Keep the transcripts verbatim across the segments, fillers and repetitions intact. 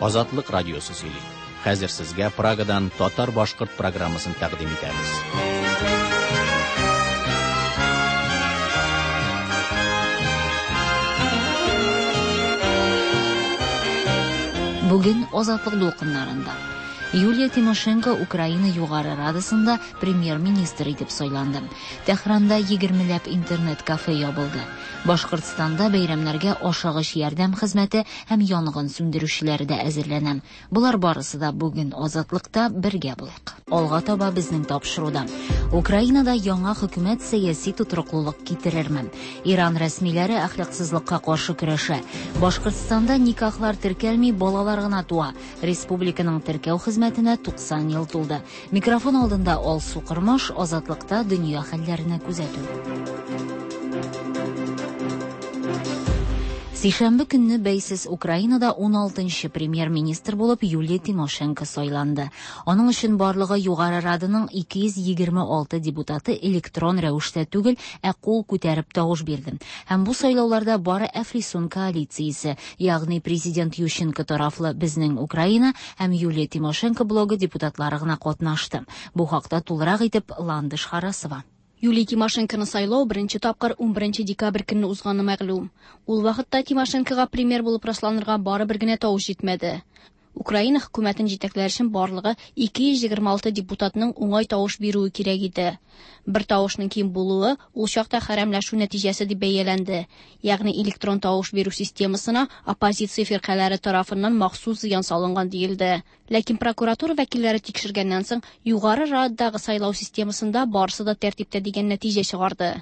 Азатлык радиосы сөйли. Хәзер сезгә Прагадан татар-башкорт программасын тәкъдим итәбез. Бүген Азатлык дулкыннарында Юлия Тимошенко Украина Югары Радасында премьер-министр итеп сайланды. Тәһранда егермеләп интернет-кафе ябылды. Башкортстанда бәйрәмнәргә ашыгыч ярдәм хезмәте һәм янгын сүндерүчеләре дә әзерләнә. Болар барысы да бүген Азатлыкта бергә булыйк. Алга таба безнең тапшыруда. Украинада яңа хөкүмәт сәяси тотрыклылык китерерме? Иран рәсмиләре әхлаксызлыкка каршы көрәшә. Башкортстанда никахлар теркәлми, балалар гына туа. Республиканың теркәү хезмәтенә туксан ел тулды. Микрофон алдында Алсу Кырмыш, Азатлыкта дөнья хәлләренә күзәтү. Сишәмбе көнне бәйсез Украинада ун алтынчы премьер-министр булып Юлия Тимошенко сайланды. Аның өчен барлыгы Югары Раданың ике йөз егерме алты депутаты электрон рәвештә түгел, ә кул күтәреп тавыш бирде. Һәм бу сайлауларда бары Әфлисун коалициясе, ягъни президент Ющенко тарафлы Безнең Украина һәм Юлия Тимошенко блогы депутатлары гына катнашты. Бу хакта тулырак итеп Ландыш Харасова. Юлия Тимошенконы сайлау беренче тапкыр ун беренче декабрь көнне узганы мәгълүм. Ул вакытта Тимошенкога премьер булып расланырга бары бер генә тавыш җитмәде. Украина хөкүмәтен җитәкләр өчен барлыгы ике йөз егерме алты депутатның уңай тавыш бирүе кирәк иде. Бер тавышның ким булуы ул чакта хәрәмләшү нәтиҗәсе дип бәяләнде. Ягъни электрон тавыш бирү системасына оппозиция фиркаләре тарафыннан махсус зыян салынган диелде. Ләкин прокуратура вәкилләре тикшергәннән соң Югары Рададагы сайлау системасында барысы да тәртиптә дигән нәтиҗә чыгарды.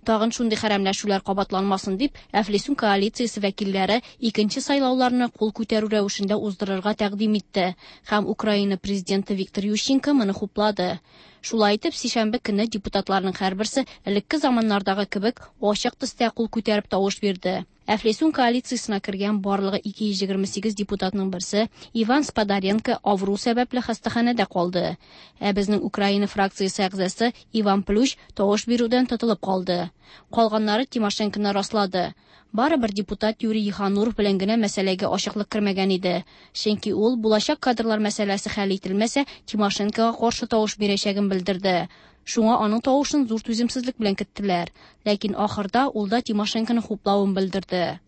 Тагын шундый хәрәмләшүләр кабатланмасын дип, Әфлисун коалициясе вәкилләре икенче сайлауларны кул күтәрү рәвешендә уздырырга тәкъдим итте һәм Украина президенты Виктор Ющенко моны хуплады. Шулай итеп, сишәмбе көнне депутатларның һәрберсе элекке заманнардагы кебек ачык төстә кул күтәреп тавыш бирде. Әфлисун коалициясенә кергән барлыгы ике йөз егерме сигез депутатның берсе Иван Сподаренко авыру сәбәпле хастаханәдә калды. Ә безнең Украина фракциясе әгъзасы Иван Плющ тавыш бирүдән тотылып калды. Калганнары Тимошенконы раслады. Бары бер депутат Юрий Ехануров белән генә мәсьәләгә ачыклык кермәгән иде. Чөнки ул булачак кадрлар мәсьәләсе хәл ителмәсә, Тимошенкога каршы тавыш бирәчәген белдерде. Шуңа аның тавышын зур түземсезлек белән көттеләр. Ләкин ахырда ул да Тимошенконы хуплавын белдерде.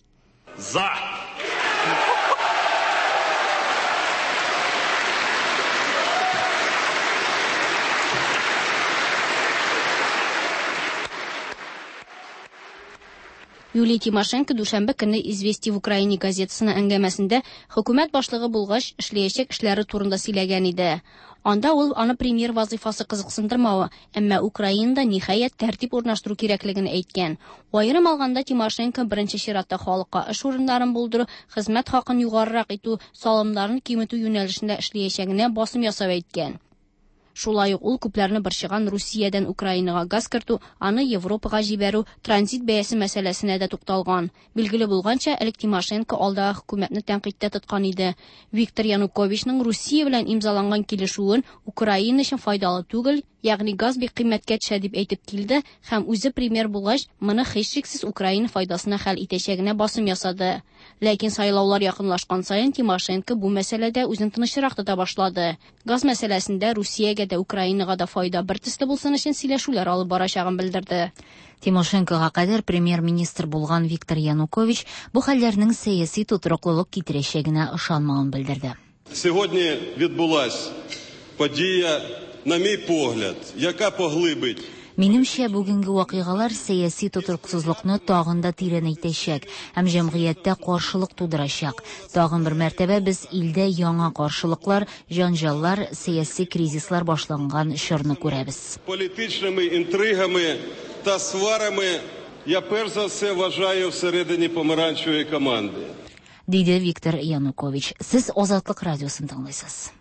За! Юлия Тимошенко дүшәмбе көнне Известия в Украине газетасына әңгәмәсендә хөкүмәт башлыгы булгач эшләячәк эшләре турында сөйләгән иде. Анда ул аны премьер вазифасы кызыксындырмавы, әмма Украинада ниһаять тәртип урнаштыру кирәклеген әйткән. Аерым алганда Тимошенко беренче чиратта халыкка эш урыннарын булдыру, хезмәт хакын югарырак итү, салымнарын киметү юнәлешендә эшләячәгенә басым ясап әйткән. Шулай ук ул күпләрне борчыган Русиядән Украинага газ кертү, аны Европага җибәрү, транзит бәясе мәсьәләсенә дә тукталган. Билгеле булганча, элек Тимошенко алдагы хөкүмәтне тәнкыйтьтә тоткан иде. Виктор Януковичның Русия белән имзаланган килешүен Украина өчен файдалы түгел, ягъни газ бик кыйммәткә төшә дип әйтеп килде һәм үзе премьер булгач, моны һичшиксез Украина файдасына хәл итәчәгенә басым ясады. Ләкин сайлаулар якынлашкан саен Тимошенко бу мәсьәләдә үзен тынычрак тота башлады. Газ мәсьәләсендә Русиягә дә Украинага да файда бер төсле булсын өчен сөйләшүләр алып барачагын белдерде. Тимошенкога кадәр премьер-министр булган Виктор Янукович бу хәлләрнең сәяси тотрыклылык китерәчәгенә ышанмавын белдерде. Сьогодні відбулась подія, на мій погляд, яка поглибить Минемчә, бүгенге вакыйгалар сәяси тотрыксызлыкны тагын да тирәнәйтәчәк һәм җәмгыятьтә каршылык тудырачак. Тагын бер мәртәбә без илдә яңа каршылыклар, җанҗаллар, сәяси кризислар башланган чорны күрәбез. Політичними інтригами та сварами я перш за все вважаю всередині помаранчевої команди. Диде Виктор Янукович. Сез Азатлык радиосын тыңлыйсыз.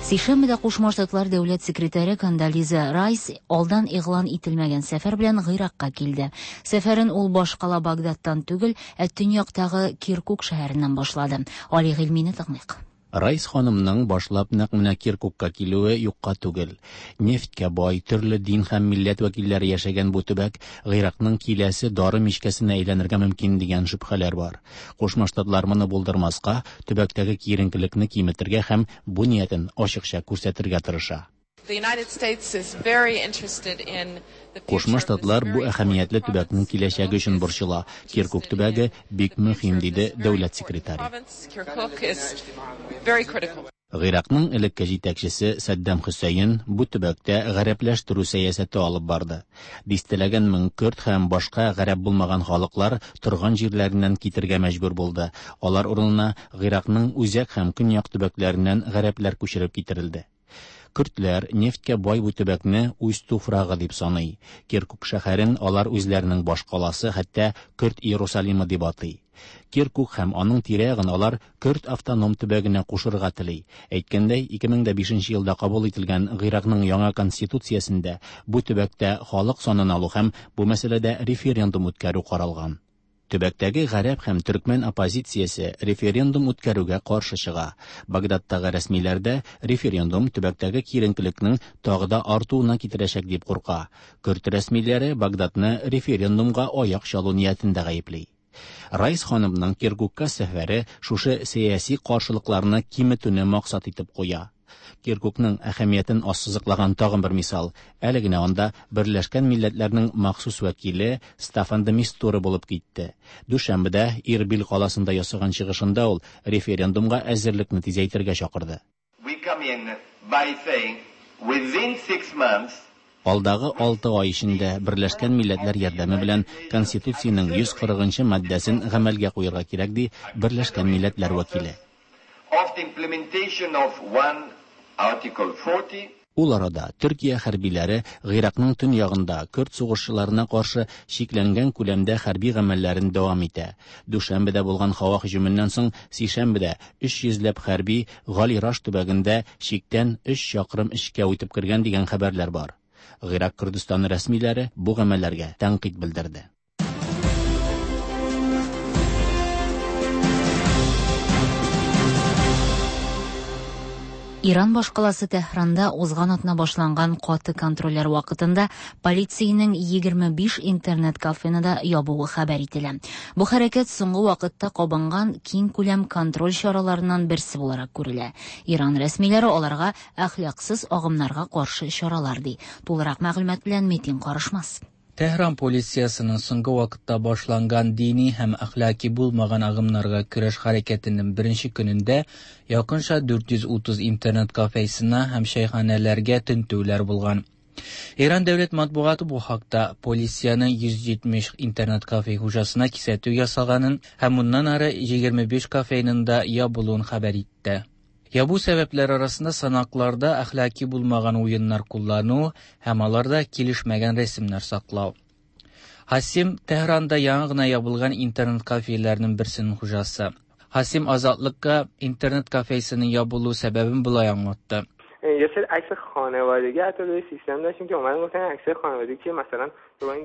Сишәмбедә Кушма Штатлар дәүләт секретаре Кондолиза Райс алдан игълан ителмәгән сәфәр белән Гыйракка килде. Сәфәрен ул башкала Багдадтан түгел, ә төньяктагы Киркук шәһәреннән башлады. Али Гыйльмине тыңлыйк. Райс ханымның башлап нәкъ менә Киркукка килүе юкка түгел. Нефтькә бай, төрле дин һәм милләт вәкилләре яшәгән бу төбәк Гыйракның киләсе дары мичкәсенә әйләнергә мөмкин дигән шөбһәләр бар. Кушма Штатлар моны булдырмаска, төбәктәге киеренкелекне киметергә һәм бу ниятен ачыкча күрсәтергә тырыша. Кушма Штатлар бу әһәмиятле төбәкнең киләчәге өчен борчыла. Киркук төбәге бик мөһим, диде дәүләт секретаре. Гыйракның элекке җитәкчесе Саддам Хөсәен бу төбәктә гарәпләштерү сәясәте алып барды. Дистәләгән мең көрд һәм башка гарәп булмаган халыклар торган җирләреннән китергә мәҗбүр булды. Алар урынына Гыйракның үзәк һәм көньяк төбәкләреннән гарәпләр күчереп китерелде. Көрдләр нефтькә бай бу төбәкне үз туфрагы дип саный. Киркук шәһәрен алар үзләренең башкаласы, хәтта Көрд Иерусалимы дип атый. Киркук һәм аның тирә-ягын алар Көрд автоном төбәгенә кушырга тели. Әйткәндәй, ике мең дә бишенче елда кабул ителгән Гыйракның яңа конституциясендә бу төбәктә халык санын алу һәм бу мәсьәләдә референдум үткәрү каралган. Төбәктәге гарәп һәм төркмән оппозициясе референдум үткәрүгә каршы чыга. Багдадтагы рәсмиләр дә референдум төбәктәге киеренкелекнең тагы да артуына китерәчәк дип курка. Көрд рәсмиләре Багдадны референдумга аяк чалу ниятендә гаепли. Райс ханымның Киркукка сәфәре шушы сәяси каршылыкларны киметүне максат итеп куя. Киркукның әһәмиятен ассызыклаган тагын бер мисал. Әле генә анда Берләшкән Милләтләрнең махсус вәкиле Стаффан де Мистура булып китте. Дүшәмбедә Ирбил каласында ясаган чыгышында ул референдумга әзерлекне тизәйтергә чакырды. We come in by saying within six months. Алдагы алты ай эчендә Берләшкән Милләтләр ярдәме белән Конституциянең йөз кырыгынчы маддәсен гамәлгә куярга кирәк, ди Берләшкән Милләтләр вәкиле. Of the implementation of one Article forty. Ул арада Төркия хәрбиләре Гыйракның төньягында көрд сугышчыларына каршы чикләнгән күләмдә хәрби гамәлләрен дәвам итә. Дүшәмбедә булган һава һөҗүменнән соң сишәмбедә өч йөзләп хәрби Галираш төбәгендә чиктән өч чакрым эчкә үтеп кергән дигән хәбәрләр бар. Гыйрак Күрдстаны рәсмиләре бу гамәлләргә тәнкыйть белдерде. Иран башкаласы Тәһранда узган атна башланган каты контрольләр вакытында полициянең егерме биш интернет-кафены да ябуы хәбәр ителә. Бу хәрәкәт соңгы вакытта кабынган киң күләм контроль чараларыннан берсе буларак күрелә. Иран рәсмиләре аларга әхлаксыз агымнарга каршы чаралар ди. Тулырак мәгълүмат белән Метин Карышмас. Тәһран полициясының соңгы вакытта башланган дини һәм әхлаки булмаган агымнарга көрәш хәрәкәтенең беренче көнендә якынча дүрт йөз утыз интернет кафесына һәм чәйханәләргә тентүләр булган. Иран дәүләт матбугаты бу хакта полициянең йөз җитмеш интернет кафе хуҗасына кисәтү ясаганын һәм моннан ары егерме биш кафеның да ябылуын хәбәр итте. Ябу сәбәпләр арасында санакларда әхлаки булмаган уеннар куллану һәм аларда килешмәгән рәсемнәр саклау. Хасим Тәһранда яңа гына ябылган интернет кафеләрнең берсенең хуҗасы. Хасим Азатлыкка интернет кафесының ябылу сәбәбен болай аңлатты. یه سری عکس خانوادگی حتی روی سیستم داشتیم که اومدن گفتن عکس خانوادگی که مثلا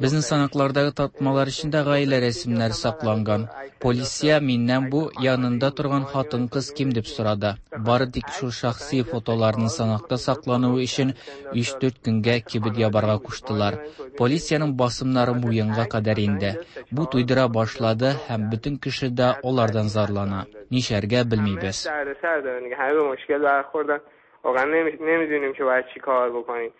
Безнең санаклардагы тартмалар эчендә гаилә рәсемнәре сакланган. Полиция миннән бу янында торган хатын-кыз кем дип сорады. Бары тик шул шәхси фотоларның санакта саклануы өчен өч-дүрт көнгә кибет ябарга куштылар. Полициянең басымнары муенга кадәр инде. Бу туйдыра башлады һәм бөтен кеше дә алардан зарлана. Нишләргә белмибез. واقعا نمی-، نمیدونیم که باید چی کار بکنیم.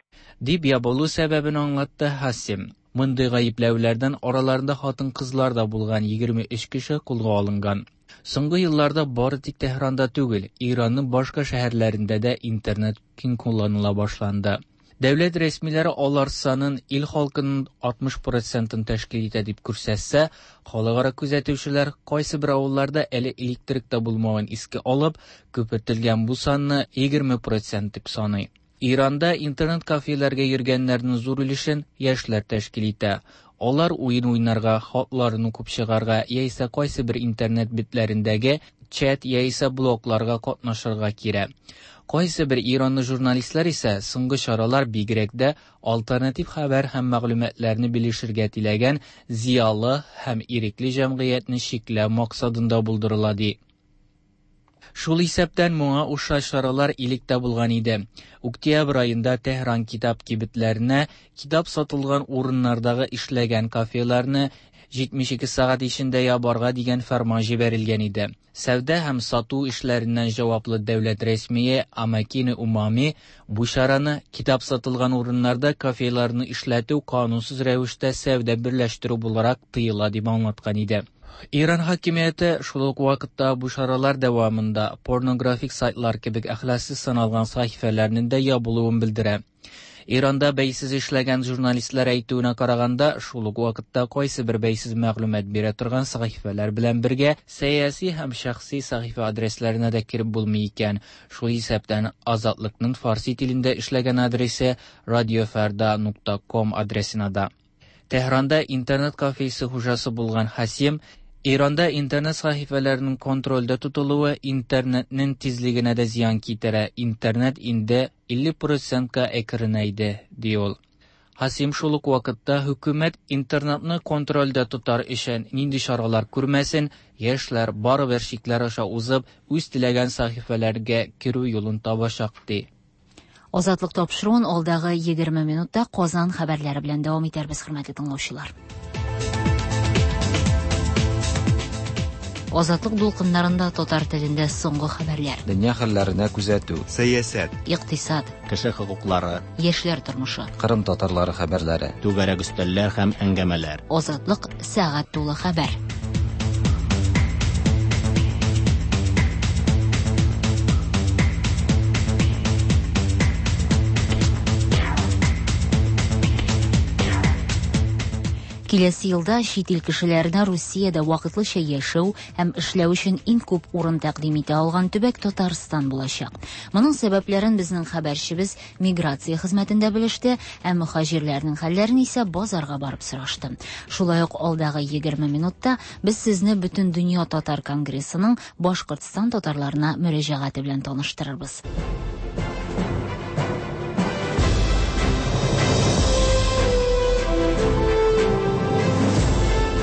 Дип ябылу сәбәбен аңлатты Хасим. Мондый гаепләүләрдән араларында хатын-кызлар да булган егерме өч кеше кулга алынган. Соңгы елларда бары тик Тәһранда түгел, Иранның башка шәһәрләрендә дә интернет киң кулланыла башланды. Дәүләт рәсмиләре алар санын ил халкының алтмыш процентын тәшкил итә дип күрсәтсә, халыкара күзәтүчеләр кайсы бер авылларда әле электрик та булмавын искә алып, күпертелгән бу санны егерме процент дип саный. Иранда интернет кафеләргә йөргәннәрнең зур өлешен яшьләр тәшкил итә. Алар уен уйнарга, хатларын укып чыгарга яисә кайсы бер интернет битләрендәге чат яисә блогларга катнашырга кирәк. Кайсы бер иранлы журналистлар исә соңгы чаралар бигрәк дә альтернатив хәбәр һәм мәгълүматларны белешергә теләгән зыялы һәм ирекле җәмгыятьне чикләү максатында булдырыла ди. Шул исәптән моңа охшаш чаралар элек тә булган иде. Октябрь аенда Тәһран китап кибетләренә китап сатылган урыннардагы эшләгән кафеларны җитмеш ике сәгать эчендә ябарга дигән фәрман җибәрелгән иде. Сәүдә һәм сату эшләреннән җаваплы дәүләт рәсмие Амакини Умами бу чараны китап сатылган урыннарда кафеларны эшләтү канунсыз рәвештә сәүдә берләштерү буларак тыела дип аңлаткан иде. Иран хакимияте шул ук вакытта бу чаралар дәвамында порнографик сайтлар кебек әхлаксыз саналган сәхифәләрнең дә ябылуын белдерә. Иранда бәйсез эшләгән журналистлар әйтүенә караганда, шул ук вакытта кайсы бер бәйсез мәгълүмат бирә торган сәхифәләр белән бергә сәяси һәм шәхси сәхифә адресларына да кереп булмый икән. Шул исәптән Азатлыкның фарси телендә эшләгән адресы радиофарда нокта ком адресына да. Тәһранда интернет кафесы хуҗасы булган Хасим Иранда интернет сәхифәләренең контрольдә тотылуы интернетның тизлегенә дә зыян китерә. Интернет инде илле процентка әкренәйде, ди ул. Хасим шул ук вакытта хөкүмәт интернетны контрольдә тотар өчен нинди чаралар күрмәсен, яшьләр барыбер чикләр аша узып, үз теләгән сәхифәләргә керү юлын табачак, ди. Азатлык тапшыруын алдагы егерме минутта Казан хәбәрләре белән дәвам итәрбез, хөрмәтле тыңлаучылар. Азатлык дулкыннарында татар телендә соңгы хәбәрләр. Дөнья хәлләренә күзәтү. Сәясәт. Икътисад. Кеше хокуклары. Яшьләр тормышы. Кырым татарлары хәбәрләре. Түгәрәк өстәлләр һәм әңгәмәләр. Азатлык сәгать тулы хәбәр. Киләсе елда чит ил кешеләренә Русиядә вакытлыча яшәү һәм эшләү өчен иң күп урын тәкъдим итә алган төбәк Татарстан булачак. Моның сәбәпләрен безнең хәбәрчебез миграция хезмәтендә белеште, ә мөхаҗирләрнең хәлләрен исә базарга барып сорашты. Шулай ук алдагы егерме минутта без сезне Бөтен дөнья татар конгрессының Башкортстан татарларына мөрәҗәгате белән таныштырырбыз.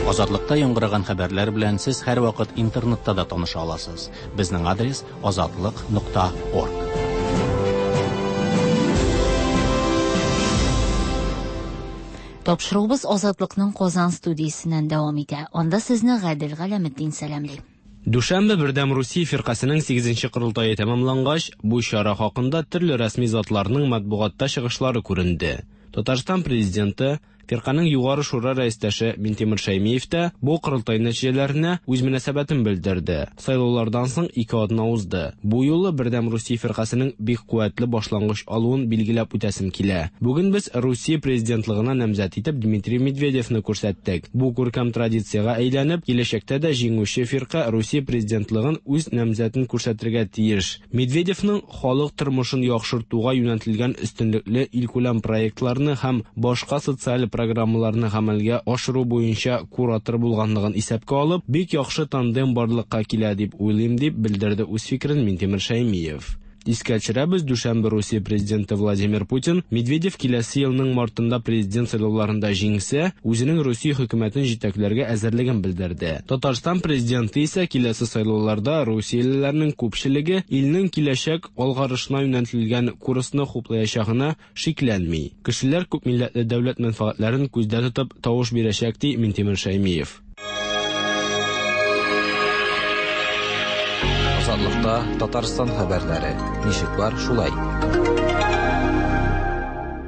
Азатлыкта яңгыраган хәбәрләр белән сез һәрвакыт интернетта да таныша аласыз. Безнең адрес азатлык нокта орг. Тапшыруыбыз Азатлыкның Казан студиясеннән дәвам итә. Анда сезне Гадел Галәметдин сәламли. Дүшәмбе Бердәм Русия фиркасының сигезенче корылтае тәмамлангач, бу чара хакында төрле рәсми затларның матбугатта чыгышлары күренде. Татарстан президенты, фирканың югары шура рәистәше Минтимер Шәймиев тә бу корылтай нәтиҗәләренә үз мөнәсәбәтен белдерде. Сайлаулардан соң ике атна узды. Бу юлы Бердәм Русия фиркасының бик куәтле башлангыч алуын билгеләп үтәсем килә. Бүген без Русия президентлыгына намзәт итеп Дмитрий Медведевны күрсәттек. Бу күркәм традициягә әйләнеп, киләчәктә дә җиңүче фирка Русия президентлыгын үз намзәтен күрсәтергә тиеш. Медведевның халык тормышын яхшыртуга юнәлтелгән өстенлекле илкүләм проектларны һәм башка социаль программаларны гамәлгә ашыру буенча куратор булганлыгын исәпкә алып, бик яхшы тандем барлыкка килә дип уйлыйм, дип белдерде үз фикерен Минтимер Шәймиев. Искә төшерәбез, дүшәмбе Русия президенты Владимир Путин Медведев киләсе елның мартында президент сайлауларында җиңсә, үзенең Русия хөкүмәтен җитәкләргә әзерлеген белдерде. Татарстан президенты исә киләсе сайлауларда русиялеләрнең күпчелеге илнең киләчәк алгарышына юнәлтелгән курсны хуплаячагына шикләнми. Кешеләр күпмилләтле дәүләт мәнфәгатьләрен күздә тотып тавыш бирәчәк, ди Минтимер Шәймиев. Азатлыкта Татарстан хәбәрләре. Ничек бар, шулай.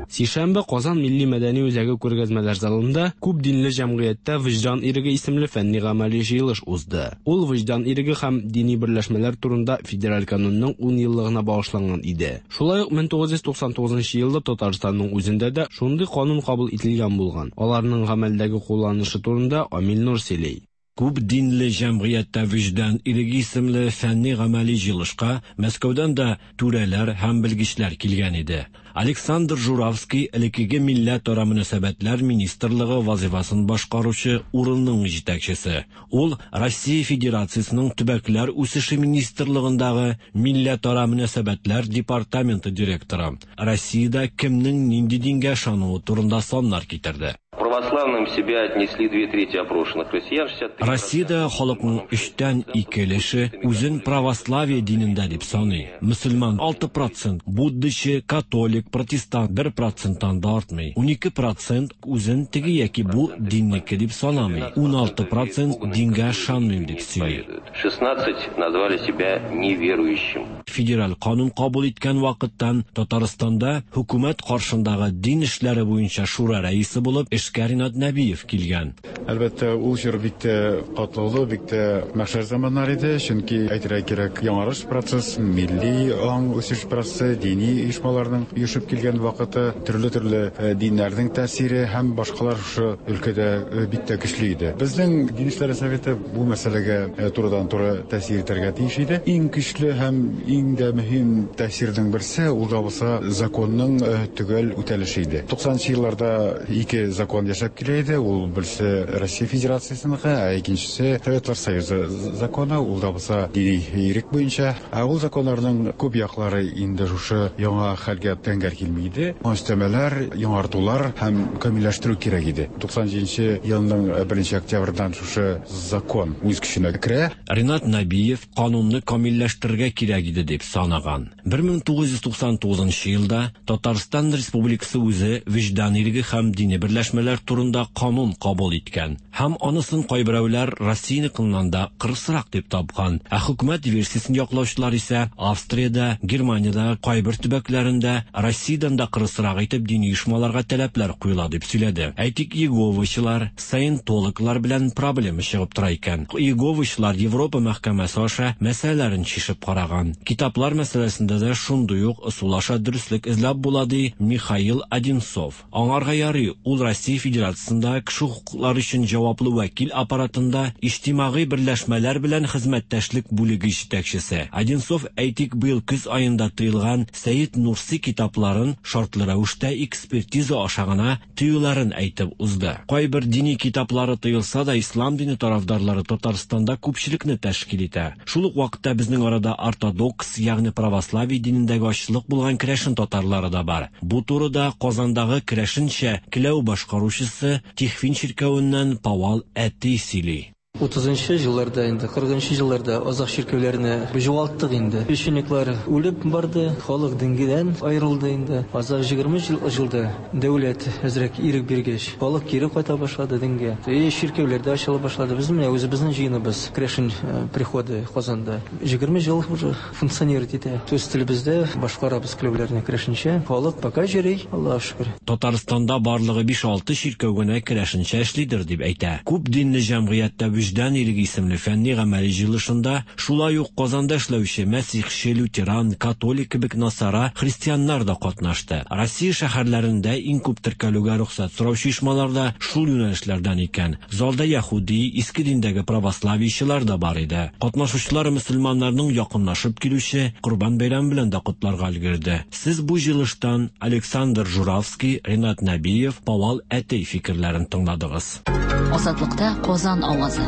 Сишәмбе Казан Милли мәдәни үзәге күргәзмәләр залында күп динле җәмгыятьтә Вөҗдан иреге исемле фәнни гамәли җыелыш узды. Ул вөҗдан иреге һәм дини берләшмәләр турында федераль канунның ун еллыгына багышланган иде. Шулай ук мең тугыз йөз туксан тугызынчы елда Татарстанның үзендә дә шундый канун кабул ителгән булган. Аларның гамәлдәге кулланышы турында Амил Нур сөйли. Күп динле җәмгыятьтә вөҗдан иреге исемле фәнни гамәли җыелышка Мәскәүдән дә түрәләр һәм белгечләр килгән иде. Александр Журавский элеккеге милләтара мөнәсәбәтләр министрлыгы вазифасын башкаручы урынның җитәкчесе. Ул Россия Федерациясының төбәкләр үсеше министрлыгындагы милләтара мөнәсәбәтләр департаменты директоры. Россиядә кемнең нинди дингә ышануы турында саннар китерде. православным себя отнесли две трети опрошенных россиян. Россиядә халыкның өчтән ике өлеше үзен православие динендә дип саный. Мөселман алты процент, буддачы, католик, протестант бер проценттан да артмый. Унике процент үзен теге яки бу диннеке дип санамый. Уналты процент дингә ышанмыйм дип сөйли. шестнадцать назвали себя неверующим. Федераль канун кабул иткән вакыттан Татарстанда хөкүмәт каршындагы дин эшләре буенча шура рәисе булып эшкә Ринат Нәбиев килгән. Әлбәттә, ул чор бик тә катлаулы, бик тә мәхшәр заманнар иде, чөнки әйтергә кирәк, яңарыш процесс, милли аң үсеш процессы, дини оешмаларның оешып килгән вакыты, төрле-төрле диннәрнең тәэсире һәм башкалар шушы өлкәдә бик тә көчле иде. Безнең Дин эшләре советы бу мәсьәләгә турыдан-туры тәэсир итәргә тиеш иде. Иң көчле һәм иң дә мөһим тәэсирнең берсе ул да булса законның төгәл үтәлеше иде. Туксанынчы елларда ике закон яшәп килә иде. Ул берсе Россия Федерациясенеке, ә икенчесе Советлар Союзы законы, ул да булса дини ирек буенча. Ә ул законнарның күп яклары инде шушы яңа хәлгә тәңгәл килми иде. Өстәмәләр, яңартулар һәм камилләштерү кирәк иде. Туксан җиденче елның беренче октябрьдан шушы закон үз көченә керә. Ринат Нәбиев канунны камилләштерергә кирәк иде дип санаган. Бер мең тугыз йөз туксан тугызынчы елда Татарстан Республикасы үзе вөҗдан иреге һәм дини берләшмәләр турында канун кабул иткән. Һәм анысын кайберәүләр Россияныкыннан да кырысрак дип тапкан. Ә хөкүмәт версиясен яклаучылар исә Австриядә, Германиядә, кайбер төбәкләрендә Россиядән дә кырысрак итеп дини оешмаларга таләпләр куела дип сөйләде. Әйтик, иеговачылар, саентологлар белән проблема чыгып тора икән. Иеговачылар Европа мәхкәмәсе аша мәсьәләләрен чишеп караган. Китаплар мәсьәләсендә дә шундый ук ысул аша дөреслек эзләп була, ди Михаил Одинцов. Аңарга ярый, ул Россия Федерациясендә кеше хокуклары өчен җаваплы вәкил аппаратында иҗтимагый берләшмәләр белән хезмәттәшлек бүлеге җитәкчесе. Одинцов, әйтик, быел көз аенда тыелган Сәет Нурси китапларын шартлы рәвештә экспертиза аша гына тыюларын әйтеп узды. Кайбер дини китаплары тыелса да, ислам дине тарафдарлары Татарстанда күпчелекне тәшкил итә. Шул ук вакытта безнең арада ортодокс, ягъни православие динендәге ачлык булган керәшен татарлары да бар. Бу турыда Казандагы керәшенчә келәү башкаручысы Тихвин чиркәвеннән Павал әти сөйли. Утызынчы елларда инде, кырыгынчы елларда азак чиркәүләрне югалттык инде. Священниклар үлеп барды, халык дингедән аерылды инде. Азак егерме елда дәүләт әзрәк ирек биргәч, халык кире кайта башлады дингә. И чиркәүләр дә ачыла башлады. Без менә үзебезнең җыеныбыз, керәшен приходы Казанда. Егерме ел уже функционировать итә. Үз телебездә башкарабыз келәүләрне керәшенчә. Халык пока йөри, Аллаһ шөкер. Татарстанда барлыгы биш-алты чиркәү генә керәшенчә эшлидер дип әйтә. Күп динле җәмгыятьтә Вөҗдан иреге исемле фәнни гамәли җыелышында шулай ук Казанда эшләүче мәсихче, лютеран, католик кебек насара христианнар да катнашты. Россия шәһәрләрендә иң күп теркәлүгә рөхсәт сораучы оешмалар да шул юнәлешләрдән икән. Залда яһүди, иске диндәге православиечылар да бар иде. Катнашучылар мөселманнарның якынлашып килүче Корбан бәйрәме белән дә котларга өлгерде. Сез бу җыелыштан Александр Журавский, Ринат Нәбиев, Павал әтей фикерләрен тыңладыгыз. Азатлыкта Казан авазы.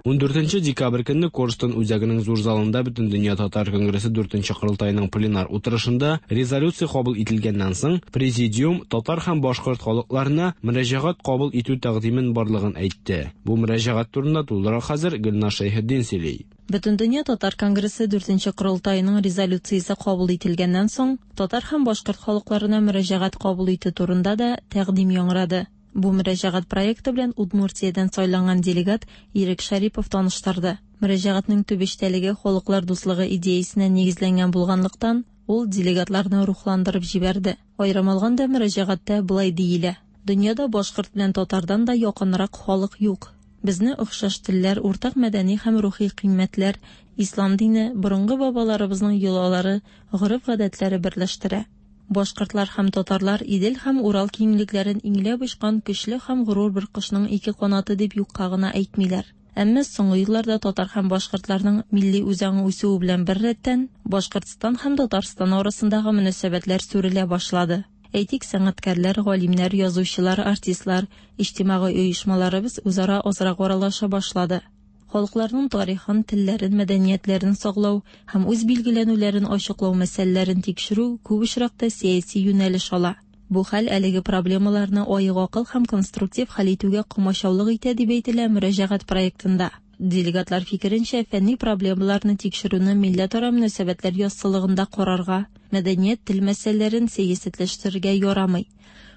Ундүртенче декабрь көнне Корстон үзәгенең зур залында Бөтендөнья татар конгрессы дүртенче корылтаеның пленар утырышында резолюция кабул ителгәннән соң президиум татар һәм башкорт халыкларына мөрәҗәгать кабул итү тәкъдимен барлыгын әйтте. Бу мөрәҗәгать турында тулырак хәзер Гөлнар Шәйхетдин сөйли. Бөтендөнья татар конгрессы дүртенче корылтаеның резолюциясе кабул ителгәннән соң татар һәм башкорт халыкларына мөрәҗәгать кабул итү турында да тәкъдим яңгырады. Бу мөрәҗәгать проекты белән Удмуртиядән сайланган делегат Ирек Шарипов таныштырды. Мөрәҗәгатьнең төп эчтәлеге халыклар дуслыгы идеясенә нигезләнгән булганлыктан, ул делегатларны рухландырып җибәрде. Аерым алганда мөрәҗәгатьтә болай диелә: Дөньяда башкорт белән татардан да якынрак халык юк. Безне охшаш телләр, уртак мәдәни һәм рухи кыйммәтләр, ислам дине, борынгы бабаларыбызның йолалары, гореф-гадәтләре берләштерә. Башкортлар һәм татарлар Идел һәм Урал киңлекләрен иңләп очкан көчле һәм горур бер кошның ике канаты дип юкка гына әйтмиләр. Әмма соңгы елларда татар һәм башкортларның милли үзаңы үсүе белән беррәттән Башкортстан һәм Татарстан арасындагы мөнәсәбәтләр сүрелә башлады. Әйтик, сәнгатькәрләр, галимнәр, язучылар, артистлар, иҗтимагый оешмаларыбыз үзара азрак аралаша башлады. Халыкларның тарихын, телләрен, мәдәниятләрен саклау һәм үз билгеләнүләрен ачыклау мәсьәләләрен тикшерү күп очракта сәяси юнәлеш ала. Бу хәл әлеге проблемаларны аек акыл һәм конструктив хәл итүгә комачаулык итә, дип әйтелә мөрәҗәгать проектында. Делегатлар фикеренчә, фәнни проблемаларны тикшерүне милләтара мөнәсәбәтләр яссылыгында карарга, мәдәният, тел мәсьәләләрен сәясәтләштерергә ярамый.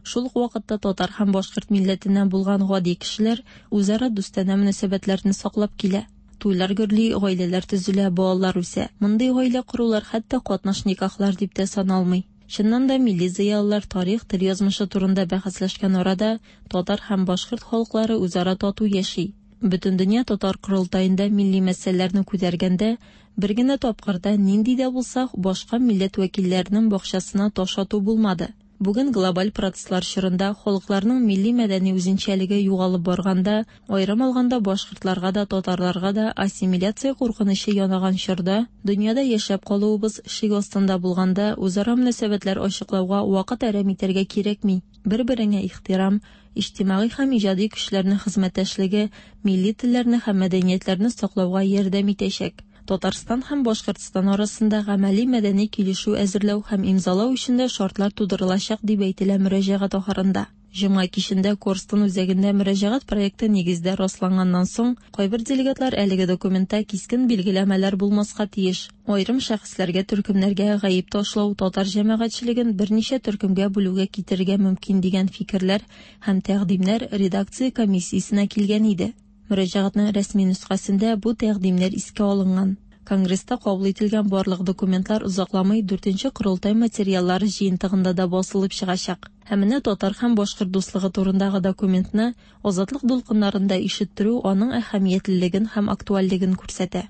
Шул ук вакытта татар һәм башкорт милләтеннән булган гади кешеләр үзара дустанә мөнәсәбәтләрне саклап килә. Туйлар гөрли, гаиләләр төзелә, балалар үсә. Мондый гаилә корулар хәтта катнаш никахлар дип тә саналмый. Чыннан да милли зыялылар тарих, тел язмышы турында бәхәсләшкән арада татар һәм башкорт халыклары үзара тату яши. Бөтендөнья татар корылтаенда милли мәсьәләләрне күтәргәндә бер генә тапкыр да нинди дә булса башка милләт вәкилләренең бакчасына таш ату булмады. Бүген глобаль процесслар чорында халыкларның милли мәдәни үзенчәлеге югалып барганда, аерым алганда башкортларга да, татарларга да ассимиляция куркынычы янаган чорда, дөньяда яшәп калуыбыз шик астында булганда, үзара мөнәсәбәтләр ачыклауга вакыт әрәм итәргә кирәкми. Бер-береңә ихтирам, иҗтимагый һәм иҗади көчләрнең хезмәттәшлеге милли телләрне һәм мәдәниятләрне саклауга ярдәм итәчәк. Татарстан һәм Башкортстан арасында гамәли мәдәни килешү әзерләү һәм имзалау өчен дә шартлар тудырылачак, дип әйтелә мөрәҗәгать ахырында. Җомга кичендә Корстон үзәгендә мөрәҗәгать проекты нигездә расланганнан соң, кайбер делегатлар әлеге документта кискен билгеләмәләр булмаска тиеш. Аерым шәхесләргә, төркемнәргә гаеп ташлау татар җәмәгатьчелеген берничә төркемгә бүлүгә китерергә мөмкин дигән фикерләр һәм тәкъдимнәр редакция комиссиясенә килгән иде. Мөрәҗәгатьнең рәсми нөсхәсендә бу тәкъдимнәр искә алынган. Конгресста кабул ителгән барлык документлар озакламый дүртенче корылтай материаллары җыентыгында да басылып чыгачак. Һәм менә татар һәм башкорт дуслыгы турындагы документны Азатлык дулкыннарында ишеттерү аның әһәмиятлелеген һәм актуальлеген күрсәтә.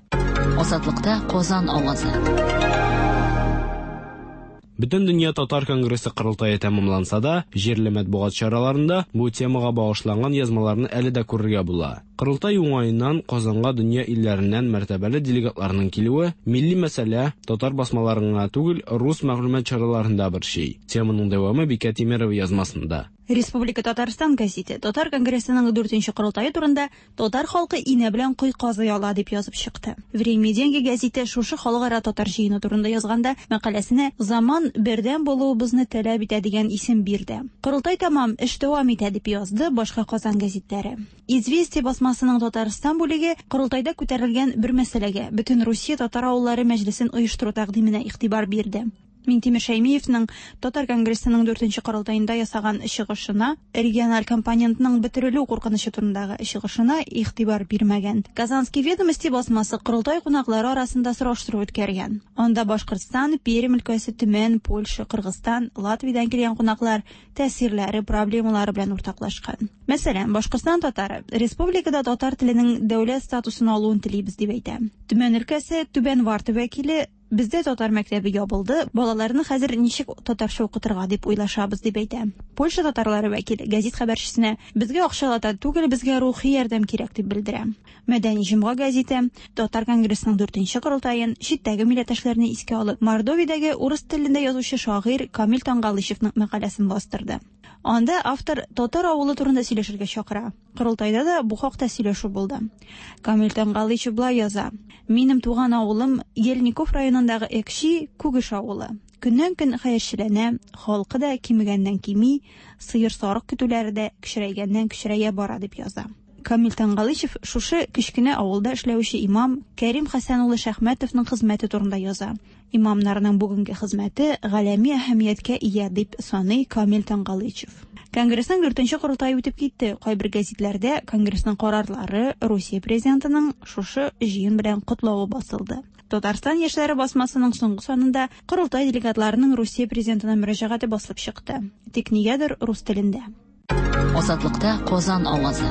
Азатлыкта Казан авазы. Бөтендөнья татар конгрессы корылтае тәмамланса да, җирле матбугат чараларында бу темага багышланган язмаларны әле дә күрергә була. Корылтай уңаеннан Казанга дөнья илләреннән мәртәбәле делегатларның килүе милли мәсьәлә татар басмаларын гына түгел, рус мәгълүмат чараларында борчый. Теманың дәвамы Бикә Тимерова язмасында. Республика Татарстан гәзите Татар конгрессының дүртенче корылтае турында татар халкы инә белән кой казый ала дип язып чыкты. Время деньги гәзите шушы халыкара татар җыены турында язганда мәкаләсенә «Заман бердәм булуыбызны таләп итә» дигән исем бирде. Корылтай тәмам, эш дәвам итә дип язды башка Казан гәзитләре. Известия басмасының Татарстан бүлеге корылтайда күтәрелгән бер мәсьәләгә бөтен Русия татар авыллары мәҗлесен оештыру тәкъдименә игътибар бирде. Минтимер Шәймиевның Татар конгрессының дүртенче корылтаенда ясаган чыгышына, региональ компонентның бетерелү куркынычы турындагы чыгышына игътибар бирмәгән. Казанский ведомости басмасы корылтай кунаклары арасында сораштыру үткәргән. Анда Башкортстан, Пермь өлкәсе, Төмән, Польша, Кыргызстан, Латвиядән килгән кунаклар тәэсирләре, проблемалары белән уртаклашкан. Мәсәлән, Башкортстан татары республикада татар теленең дәүләт статусын алуын телибез дип әйтә. Төмән өлкәсе Түбән Варта вәкиле Бездә татар мәктәбе ябылды, балаларны хәзер ничек татарча укытырга дип уйлашабыз дип әйтә. Польша татарлары вәкиле гәзит хәбәрчесенә безгә акчалата түгел, безгә рухи ярдәм кирәк дип белдерә. Мәдәни җомга гәзите Татар конгрессының дүртенче корылтаен читтәге милләттәшләрне искә алып, Мордовиядәге урыс телендә язучы шагыйрь Камил Тангалышевның мәкаләсен бастырды. Анда автор татар авылы турында сөйләшергә чакыра. Корылтайда да бу хакта сөйләшү булды. Камил Тангалышев болай яза: "Минем туган авылым Ельников районындагы Экши Күгеш авылы. Көннән-көн хәерчеләнә, халкы да кимегәннән кими, сыер сарык көтүләре дә кечерәйгәннән кечерәя бара" дип яза. Камил Тангалышев шушы кечкенә авылда эшләүче имам Кәрим Хәсән улы Шәхмәтовның хезмәте турында яза. Имамнарның бүгенге хезмәте галәми әһәмияткә ия дип саный Камил Тангалышев. Конгрессның дүртенче корылтае үтеп китте. Кайбер гәзитләрдә конгрессның карарлары Русия президентының шушы җыен белән котлавы басылды. Татарстан яшьләре басмасының соңгы санында корылтай делегатларының Русия президентына мөрәҗәгате басылып чыкты. Тик нигәдер рус телендә. Азатлыкта Казан авазы.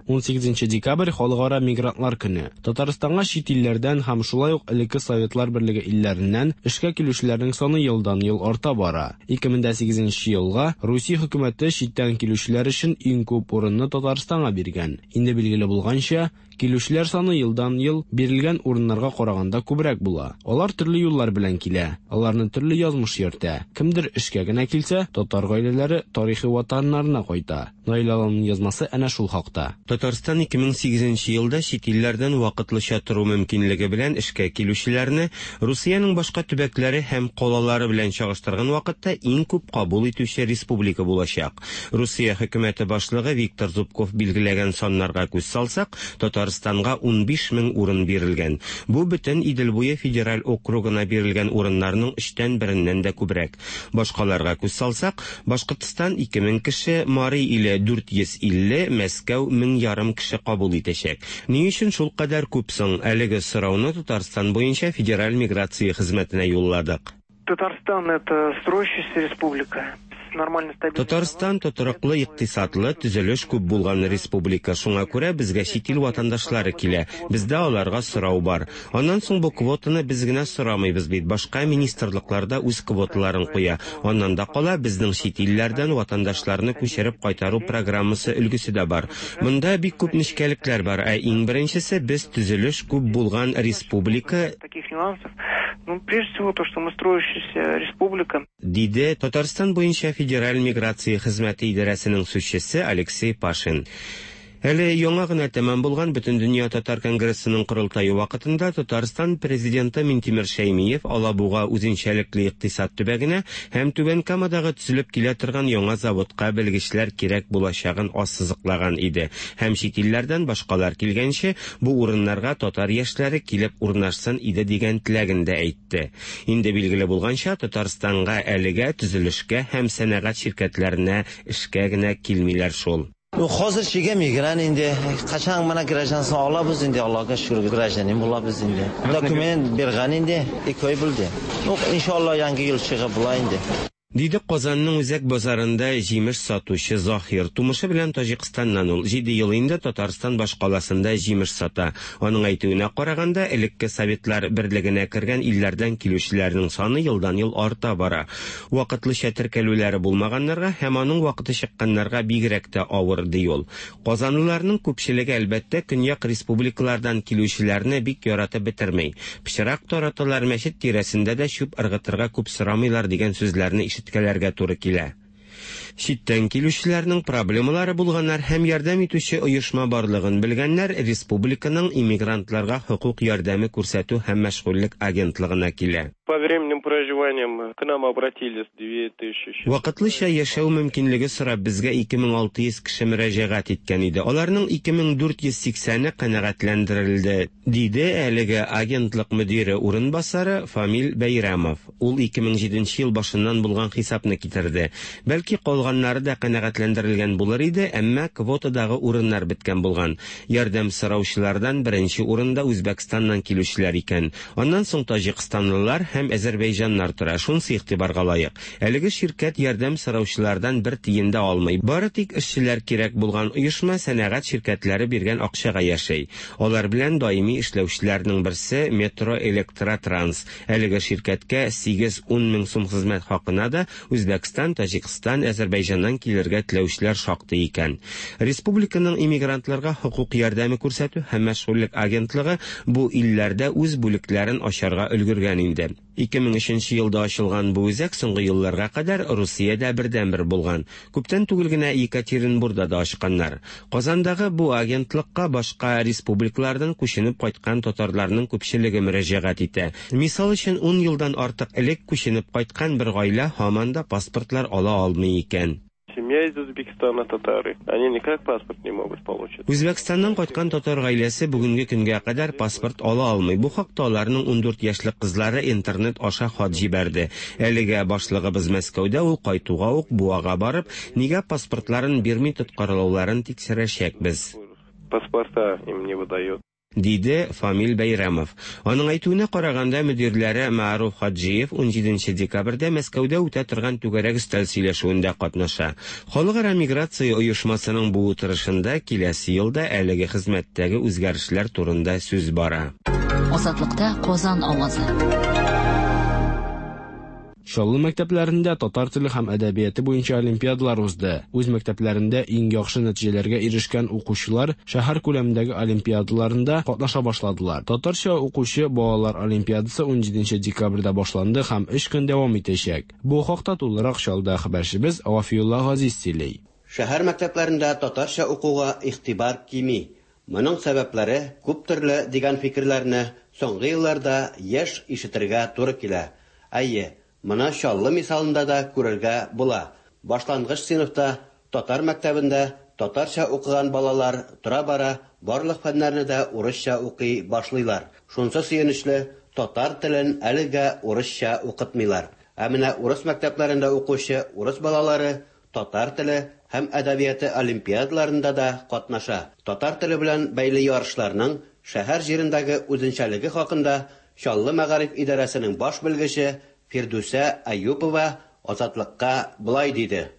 ун сигезенче декабрь Халыкара мигрантлар көне. Татарстанга чит илләрдән һәм шулай ук элекке Советлар Берлеге илләреннән эшкә килүчеләрнең саны елдан-ел арта бара. ике мең сигезенче елга Русия хөкүмәте читтән килүчеләр өчен иң күп урынны Татарстанга биргән. Инде билгеле булганча, Килүчеләр саны елдан-ел бирелгән урыннарга караганда күбрәк була. Алар төрле юллар белән килә, аларны төрле язмыш йөртә. Кемдер эшкә генә килсә, татар гаиләләре тарихи ватаннарына кайта. Наил Аланның язмасы әнә шул хакта. Татарстан ике мең сигезенче елда чит илләрдән вакытлыча тору мөмкинлеге белән эшкә килүчеләрне Русиянең башка төбәкләре һәм калалары белән чагыштырган вакытта иң күп кабул итүче республика булачак. Русия хөкүмәте башлыгы Виктор Зубков билгеләгән саннарга күз салсак, Татарстанга унбиш мең урын бирелгән. Бу бөтен Идел буе федераль округына бирелгән урыннарның өчтән береннән дә күбрәк. Башкаларга күз салсак, Башкортстан ике мең кеше, Мари иле дүрт йөз илле, Мәскәү мең ярым кеше кабул итәчәк. Ни өчен шул кадәр күп соң? Әлеге сорауны Татарстан буенча федераль миграция хезмәтенә юлладык. Татарстан это строящаяся республика. Татарстан тотрыклы икътисадлы, төзелеш күп булган республика. Шуңа күрә безгә чит ил ватандашлары килә. Бездә аларга сорау бар. Аннан соң бу квотаны без генә сорамыйбыз бит. Башка министрлыкларда үз квоталарын куя. Аннан да кала безнең чит илләрдән ватандашларны күчереп кайтару программасы өлгесе дә бар. Монда бик күп нечкәлекләр бар. Ә иң беренчесе, без төзелеш күп булган республика. Таких нюансов. Ну, прежде всего то, что мы строящаяся республика. Диде Татарстан буенча федераль миграция хезмәте идарәсенең сүзчесе Алексей Пашин. Әле яңа гына тәмам булган Бөтендөнья татар конгрессының корылтае вакытында Татарстан президенты Минтимер Шәймиев Алабуга үзенчәлекле икътисад төбәгенә һәм Түбән Камадагы төзелеп килә торган яңа заводка белгечләр кирәк булачагын ассызыклаган иде. Һәм чит илләрдән башкалар килгәнче бу урыннарга татар яшьләре килеп урнашсын иде дигән теләген дә әйтте. Инде билгеле булганча, Татарстанга әлегә төзелешкә һәм сәнәгать ширкәтләренә эшкә генә килмиләр шул. Hozirchiga migrant endi qachon mana grajdansini olamiz endi, Allohga shukr, grajdanin bo'lamiz endi. Dokument bergan endi, ikki oy bo'ldi. Inshaalloh yangi yil chiqib bo'lar endi. Диде Казанның үзәк базарында җимеш сатучы Захир. Тумышы белән Таҗикстаннан ул. Җиде ел инде Татарстан башкаласында җимеш сата. Аның әйтүенә караганда, элекке Советлар берлегенә кергән илләрдән килүчеләрнең саны елдан-ел арта бара. Вакытлыча теркәлүләре булмаганнарга һәм аның вакыты чыкканнарга бигрәк тә авыр, ди ул. Казанлыларның күпчелеге әлбәттә көньяк республикалардан килүчеләрне бик яратып бетерми. Пычрак тараталар, мәчет тирәсендә дә чүп ыргытырга күп сорамыйлар дигән сүзләрне ишеткәләргә туры килә. Читтән килүчеләрнең проблемалары булганнар һәм ярдәм итүче оешма барлыгын белгәннәр республиканың иммигрантларга хокук ярдәме күрсәтү һәм мәшгульлек агентлыгына килә. По временным проживаниям к нам обратились две тысячи. Вакытлыча яшәү мөмкинлеге сорап безгә ике мең алты йөз кеше мөрәҗәгать иткән иде. Аларның ике мең дүрт йөз сиксәне канәгатьләндерелде, диде әлеге агентлык мөдире урынбасары Фамил Бәйрәмов. Ул ике мең җиденче ел башыннан булган хисапны китерде. Бәлки калганнары да канәгатьләндерелгән булыр иде, әмма квотадагы урыннар беткән булган. Ярдәм сораучылардан беренче урында Үзбәкстаннан килүчеләр икән. Аннан соң таҗикстанлылар һәм Әзербайҗаннар тора. Шунысы игътибарга лаек. Әлеге ширкәт ярдәм сораучылардан бер тиен дә алмый. Бары тик эшчеләр кирәк булган оешма сәнәгать ширкәтләре биргән акчага яшәй. Алар белән даими эшләүчеләрнең берсе Метро Электротранс. Әлеге ширкәткә сигез-ун мең сум хезмәт хакына да Үзбәкстан, Таҗикстан, Әзербайҗаннан килергә теләүчеләр шактый икән. Республиканың иммигрантларга хокук ярдәме күрсәтү һәм мәшгульлек агентлыгы бу илләрдә үз бүлекләрен ачарга өлгергән инде. ике мең өченче елда ачылган бу үзәк соңгы елларга кадәр Русиядә бердәнбер булган. Күптән түгел генә Екатеринбургда да ачканнар. Казандагы бу агентлыкка башка республикалардан күченеп кайткан татарларның күпчелеге мөрәҗәгать итә. Мисал өчен, ун елдан артык элек күченеп кайткан бер гаилә һаман да паспортлар ала алмый икән. Семья из Узбекистана татары. Они никак паспорт не могут получить. Үзбәкстаннан кайткан татар гаиләсе бүгенге көнгә кадәр паспорт ала алмый. Бу хакта аларның ундүрт яшьлек кызлары интернет аша хат җибәрде. Әлегә башлыгыбыз Мәскәүдә, ул кайтуга ук Буага барып, нигә паспортларын бирми тоткарлауларын тикшерәчәкбез. Паспорта им не выдают. Диде Фамил Бәйрәмов. Аның әйтүенә караганда, мөдирләре Маруф Хаджиев унҗиденче декабрьдә Мәскәүдә үтә торган түгәрәк өстәл сөйләшүендә катнаша. Халыкара миграция оешмасының бу утырышында киләсе елда әлеге хезмәттәге үзгәрешләр турында сүз бара. Азатлыкта Казан авазы. Чаллы мәктәпләрендә татар теле һәм әдәбияты буенча олимпиадалар узды. Үз мәктәпләрендә иң яхшы нәтиҗәләргә ирешкән укучылар шәһәр күләмендәге олимпиадаларында катнаша башладылар. Татарча укучы балалар олимпиадасы унҗиденче декабрьдә башланды һәм өч көн дәвам итәчәк. Бу хакта тулырак Чаллыда хәбәрчебез Вафиулла Газиз сөйли. Шәһәр мәктәпләрендә татарча укуга игътибар кими. Моның сәбәпләре күп төрле дигән фикерләрне соңгы елларда еш ишетергә туры килә. Әйе, моны Чаллы мисалында да күрергә була. Башлангыч сыйныфта татар мәктәбендә татарча укыган балалар тора-бара барлык фәннәрне дә урысча укый башлыйлар. Шунсы сөенечле, татар телен әлегә урысча укытмыйлар. Ә менә урыс мәктәпләрендә укучы урыс балалары татар теле һәм әдәбияты олимпиадаларында да катнаша. Татар теле белән бәйле ярышларның шәһәр җирендәге үзенчәлеге хакында Чаллы мәгариф идарәсенең баш белгече Фирдүсә Аюпова Азатлыкка болай диде.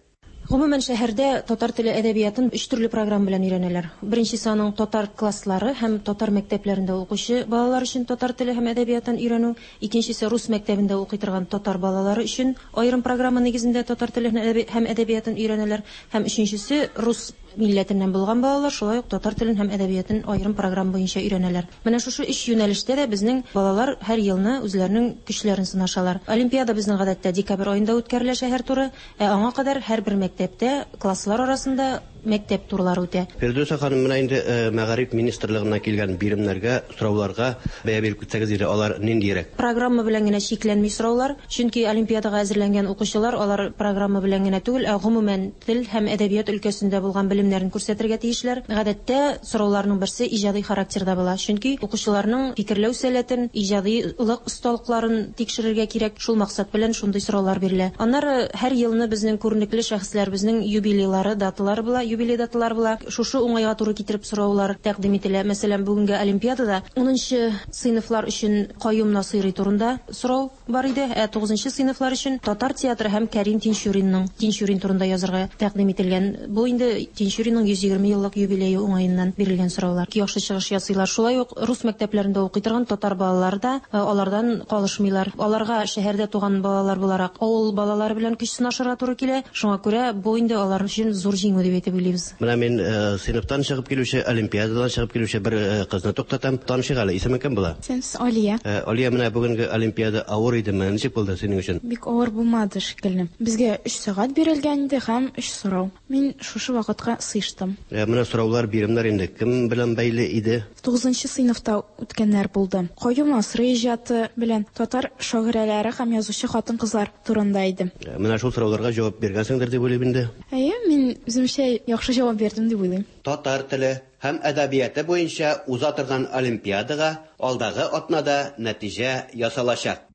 Гомумән, шәһәрдә татар теле әдәбиятын өч төрле программа белән өйрәнәләр. Беренчесе аның татар класслары һәм татар мәктәпләрендә укучы балалар өчен татар теле һәм әдәбиятын өйрәнү. Икенчесе рус мәктәбендә укый торган татар балалары өчен аерым программа нигезендә татар теле һәм әдәбиятын өйрәнәләр. Һәм өченчесе рус милләтеннән булган балалар шулай ук татар телен һәм әдәбиятын аерым программа буенча өйрәнәләр. Менә шушы өч юнәлештә дә безнең балалар һәр елны үзләренең көчләрен сынашалар. Олимпиада безнең гадәттә декабрь аенда үткәрелә шәһәр туры, ә аңа кадәр һәрбер мәктәптә класслар арасында мәктәп турлары үтә. Фирдүсә ханым, менә инде мәгариф министрлыгыннан килгән биремнәргә, сорауларга бәя биреп китсәгез иде, алар ниндирәк? Программа белән генә чикләнми сораулар, чөнки олимпиадага әзерләнгән укучылар алар программа белән генә түгел, ә гомумән тел һәм әдәбият өлкәсендә булган белемнәрен күрсәтергә тиешләр. Гадәттә сорауларның берсе иҗади характерда була, чөнки укучыларның фикерләү сәләтен, иҗадилык осталыкларын тикшерергә кирәк. Шул максат белән шундый сораулар бирелә. Аннары һәр елны безнең күренекле шәхесләребезнең юбилейлары, даталары була, юбилей даталары була. Шушы уңайга туры китереп сораулар тәкъдим ителә. Мәсәлән, бүгенге олимпиадада унынчы сыйныфлар өчен Каюм Насыйри турында сорау бар иде, ә тугызынчы сыйныфлар өчен татар театры һәм Кәрим Тинчуринның Тинчурин турында язырга тәкъдим ителгән. Бу инде Тинчуринның йөз егерме еллык юбилее уңаеннан бирелгән сораулар. Яхшы чыгыш ясыйлар. Шулай ук рус мәктәпләрендә укый торган татар балалары да алардан калышмыйлар. Аларга шәһәрдә туган балалар буларак авыл балалары белән көч сынашырга туры килә. Шуңа күрә бу инде алар өчен зур җиңү дип әйтеп уйлыйбыз. Менә мин сыйныфтан чыгып килүче, олимпиададан чыгып килүче бер кызны туктатам. Танышыйк әле, исеме кем була? Сенс Алия. Алия, менә бүгенге олимпиада авыр идеме? Ничек булды синең өчен? Бик авыр булмады шикелле. Безгә өч сәгать бирелгән иде һәм өч сорау. Мин шушы вакытка сыештым. Менә сораулар, биремнәр инде кем белән бәйле иде? Тугызынчы сыйныфта үткәннәр булды. Каюм Насыйри иҗаты белән татар шагыйрәләре һәм язучы хатын-кызлар турында иде. Менә шул сорауларга җавап биргәнсеңдер дип уйлыйм инде. Әйе, мин үземчә яхшы җавап бирдем дип уйлыйм. Татар теле һәм әдәбияты буенча уза торган олимпиадага алдагы атнада нәтиҗә ясалачак.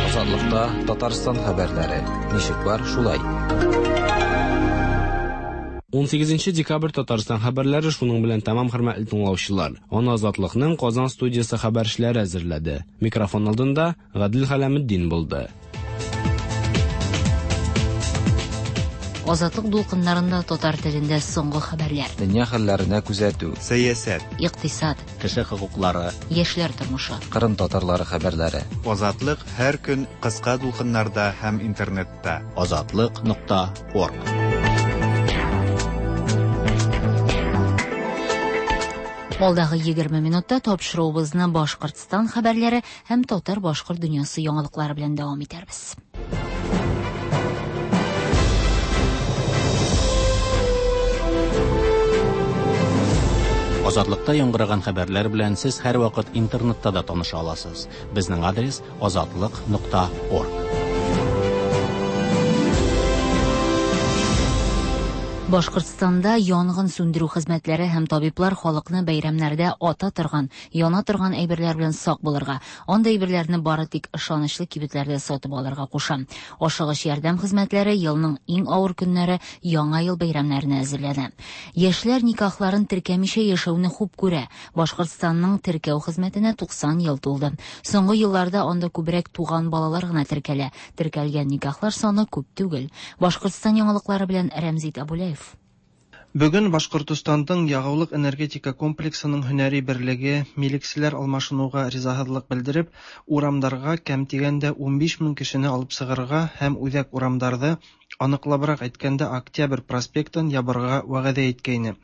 Азатлыкта Татарстан хәбәрләре. Ничек бар, шулай. Унсигезенче декабрь Татарстан хәбәрләре шуның белән тәмам, хөрмәтле тыңлаучылар. Аны Азатлыкның Казан студиясе хәбәрчеләре әзерләде. Микрофон алдында Гадел Хәләметдин булды. Азатлык дулкыннарында татар телендә соңгы хәбәрләр. Дөнья хәлләренә күзәтү, сәясәт, икътисад, кеше хокуклары, яшьләр тормышы, Кырым татарлары хәбәрләре. Азатлык һәр көн кыска дулкыннарда һәм интернетта. Азатлык нокта орг. Алдагы егерме минутта тапшыруыбызны Башкортстан хәбәрләре һәм татар-башкорт дөньясы яңалыклары белән дәвам итәрбез. Азатлыкта яңгыраган хәбәрләр белән сез һәрвакыт интернетта да таныша аласыз. Безнең адрес азатлык нокта орг. Башкортстанда янгын сүндерү хезмәтләре һәм табиблар халыкны бәйрәмнәрдә ата торган, яна торган әйберләр белән сак булырга, андый әйберләрне бары тик ышанычлы кибетләрдә сатып алырга куша. Ашыгыч ярдәм хезмәтләре елның иң авыр көннәре Яңа ел бәйрәмнәренә әзерләнә. Яшьләр никахларын теркәмичә яшәүне хуп күрә. Башкортстанның теркәү хезмәтенә туксан ел тулды. Соңгы елларда анда күбрәк туган балалар гына теркәлә. Теркәлгән никахлар саны күп түгел. Башкортстан яңалыклары белән Рәмзит Абулаев. Бүген Башкортостандың ягулык-энергетика комплексының һөнәри берлеге милекселәр алмашынуга ризаһызлык белдереп, урамдарга кәм дигәндә унбиш мең кешене алып чыгарга һәм үзәк урамдарды, аныклабрак әйткәндә Октябрь проспектын ябарга вәгъдә иткәйне.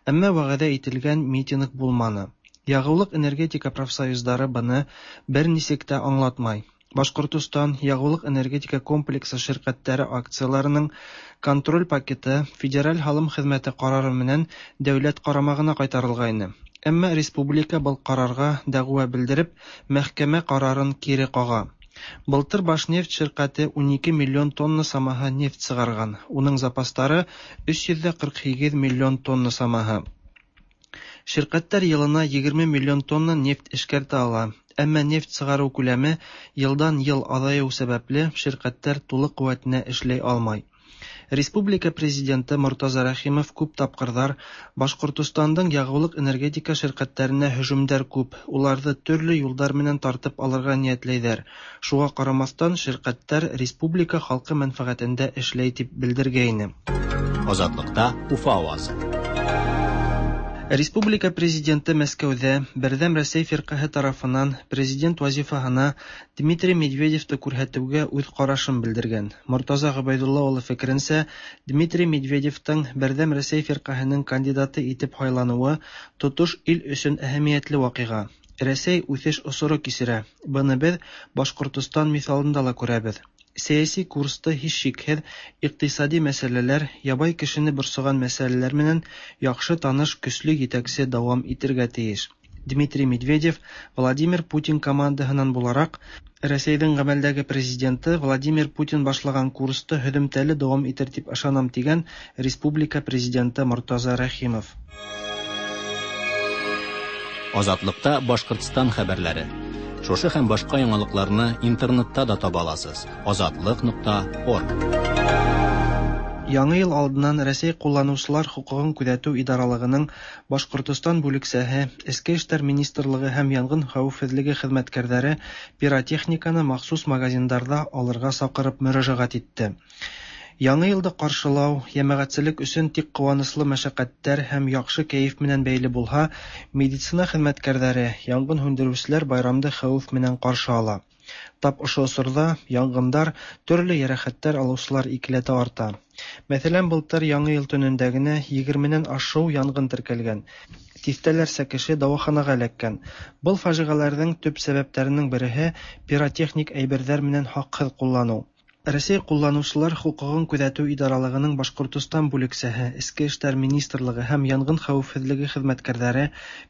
Әмма вәгъдә ителгән митинг булманы. Ягулык-энергетика профсоюзлары быны берничек тә аңлатмай. Башкортостан ягулык-энергетика комплексы ширкәтләре акцияләренең контроль пакеты Федераль һалым хезмәте карары менән дәүләт карамагына кайтарылгайны. Әмма республика был карарга дәгъва белдереп, мәхкәмә карарын кире кага. Былтыр Башнефть ширкәте унике миллион тонна самаһы нефть чыгарган. Уның запаслары өч йөз дә кырык һигеҙ миллион тонна самаһы. Ширкәттәр йылына егерме миллион тонна нефть эшкәртә ала. Әмма нефть сығарыу күләме йылдан йыл аҙайыу сәбәпле ширкәттәр тулы ҡеүәтенә эшләй алмай. Республика президенты Мортаза Рәхимов күп тапҡырҙар Башҡортостандың ягулыҡ-энергетика ширкәттәренә һөжүмдәр күп, уларҙы төрлө юлдар менән тартып алырға ниәтләйҙәр. Шуға ҡарамаҫтан ширкәттәр республика халҡы мәнфәғәтендә эшләй тип белдергәйне. Азатлыҡта Уфа ауазы. Республика президенты Мәскәүҙә Берҙәм Рәсәй фирҡәһе тарафынан президент вазифаһына Дмитрий Медведевты күрһәтеүгә үҙ ҡарашын белдергән. Мортаза Ғөбәйҙулла улы фекеренсә, Дмитрий Медведевтың Берҙәм Рәсәй фирҡәһенең кандидаты итеп һайланыуы тотош ил өсөн әһәмиәтле ваҡиға. Рәсәй үҫеш осоро кисерә. Быны беҙ Башҡортостан миҫалында ла күрәбеҙ. Сәйәси курсты һис шикһеҙ иҡтисади мәсьәләләр, ябай кешене борсоған мәсьәләләр менән яҡшы таныш көслө етәксе дауам итергә тейеш. Дмитрий Медведев Владимир Путин командаһынан булараҡ, Рәсәйҙең ғәмәлдәге президенты Владимир Путин башлаған курсты һөҙөмтәле дауам итер тип ышанам, тигән республика президенты Мортаза Рәхимов. Азатлыҡта Башҡортостан хәбәрләре. Шушы һәм башҡа яңалыҡларны интернетта да таба аласыз. Азатлыҡ нуҡта орг. Яңы йыл алдынан Рәсәй ҡулланыусылар хоҡуғын күҙәтеү идаралығының Башҡортостан бүлексәһе, Эске эштәр министрлығы һәм янғын хәүефһеҙлеге хеҙмәткәрҙәре пиротехниканы махсус магазиндарҙа алырға саҡырып мөрәжәғәт итте. Яңы йылды ҡаршылау йәмәғәтселек өсөн тик ҡыуаныслы мәшәҡәттәр һәм яҡшы кәйеф менән бәйле булһа, медицина хеҙмәткәрҙәре, янғын һүндереүселәр байрамды хәүеф менән ҡаршы ала. Тап ошо осорҙа янғындар, төрлө йәрәхәттәр алыусылар икеләтә арта. Мәҫәлән, былтыр Яңы йыл төнөндә генә егерменән ашыу янғын теркәлгән. Тиҫтәләрсә кеше дауаханаға эләккән. Был фажиғәләрҙең төп сәбәптәренең береһе пиротехник әйберҙәр менән хаҡһыҙ ҡулланыу. Рәсәй ҡулланыусылар хоҡуғын күҙәтеү идаралығының Башҡортостан бүлексәһе, Эске эштәр министрлығы һәм янғын хәүефһеҙлеге хеҙмәткәрҙәре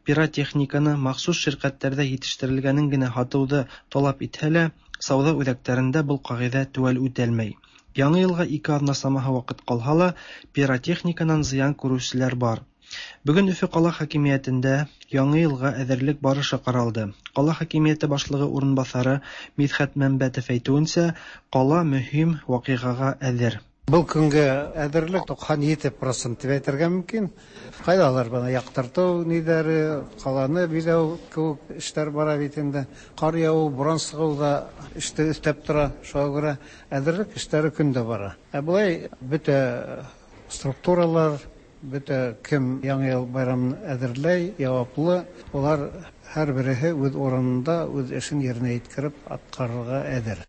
пиротехниканы махсус ширкәттәрҙә етештерелгәнен генә һатыуҙы талап итһә лә, сауҙа үҙәктәрендә был ҡағиҙә теүәл үтәлмәй. Яңы йылға ике аҙна самаһы ваҡыт ҡалһа ла, пиротехниканан зыян күреүселәр бар. Бөгөн Өфө ҡала хакимиәтендә яңы йылға әҙерлек барышы ҡаралды. Ҡала хакимиәте башлығы урынбаҫары Мидхәт Мәмбәтов әйтеүенсә, ҡала мөһим ваҡиғаға әҙер. Был көнгә әҙерлек туҡһан ете процент тип әйтергә мөмкин. Ҡайҙалар бына яҡтыртыу ниҙәре, ҡаланы биҙәү кеүек эштәр бара бит инде. Ҡар яуыу, буран сығыу ҙа эште өҫтәп тора. Шуға күрә әҙерлек эштәре көндә бара. Ә былай бөтә структуралар, бөтә кем Яңы йыл байрамын әҙерләй, яуаплы, улар һәр береһе үҙ урынында үҙ эшен еренә еткереп атҡарырға әҙер.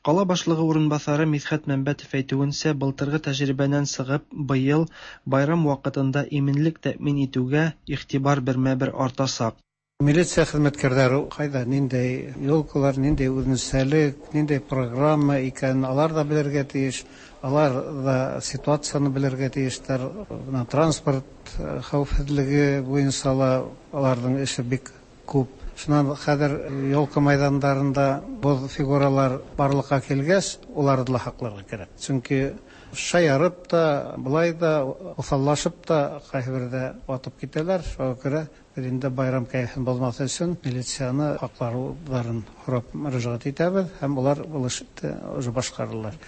Ҡала башлығы урынбаҫары Мидхәт Мәмбәтов әйтеүенсә, былтырғы тәжрибәнән сығып, быйыл байрам ваҡытында именлек тәьмин итеүгә иғтибар бермә-бер артасаҡ. Милиция хеҙмәткәрҙәре ҡайҙа ниндәй елкалар, ниндәй үҙенсәлек, ниндәй программа икәнен алар ҙа белергә тейеш, алар ҙа ситуацияны белергә тейештәр. Бына транспорт хәүефһеҙлеге буйынса ла аларҙың эше бик күп. Шунан хәҙер елка майҙандарында боҙ фигуралар барлыҡҡа килгәс, уларҙы ла һаҡларға кәрәк. Сөнки шаярып та, былай да, уҫаллашып та ҡайһы берҙә атып китәләр. Шуға күрә беҙ инде байрам кәйефен боҙмаҫ өсөн милицияны һаҡлауҙарын һорап мөрәжәғәт итәбеҙ, һәм улар был эште уже башҡаралар.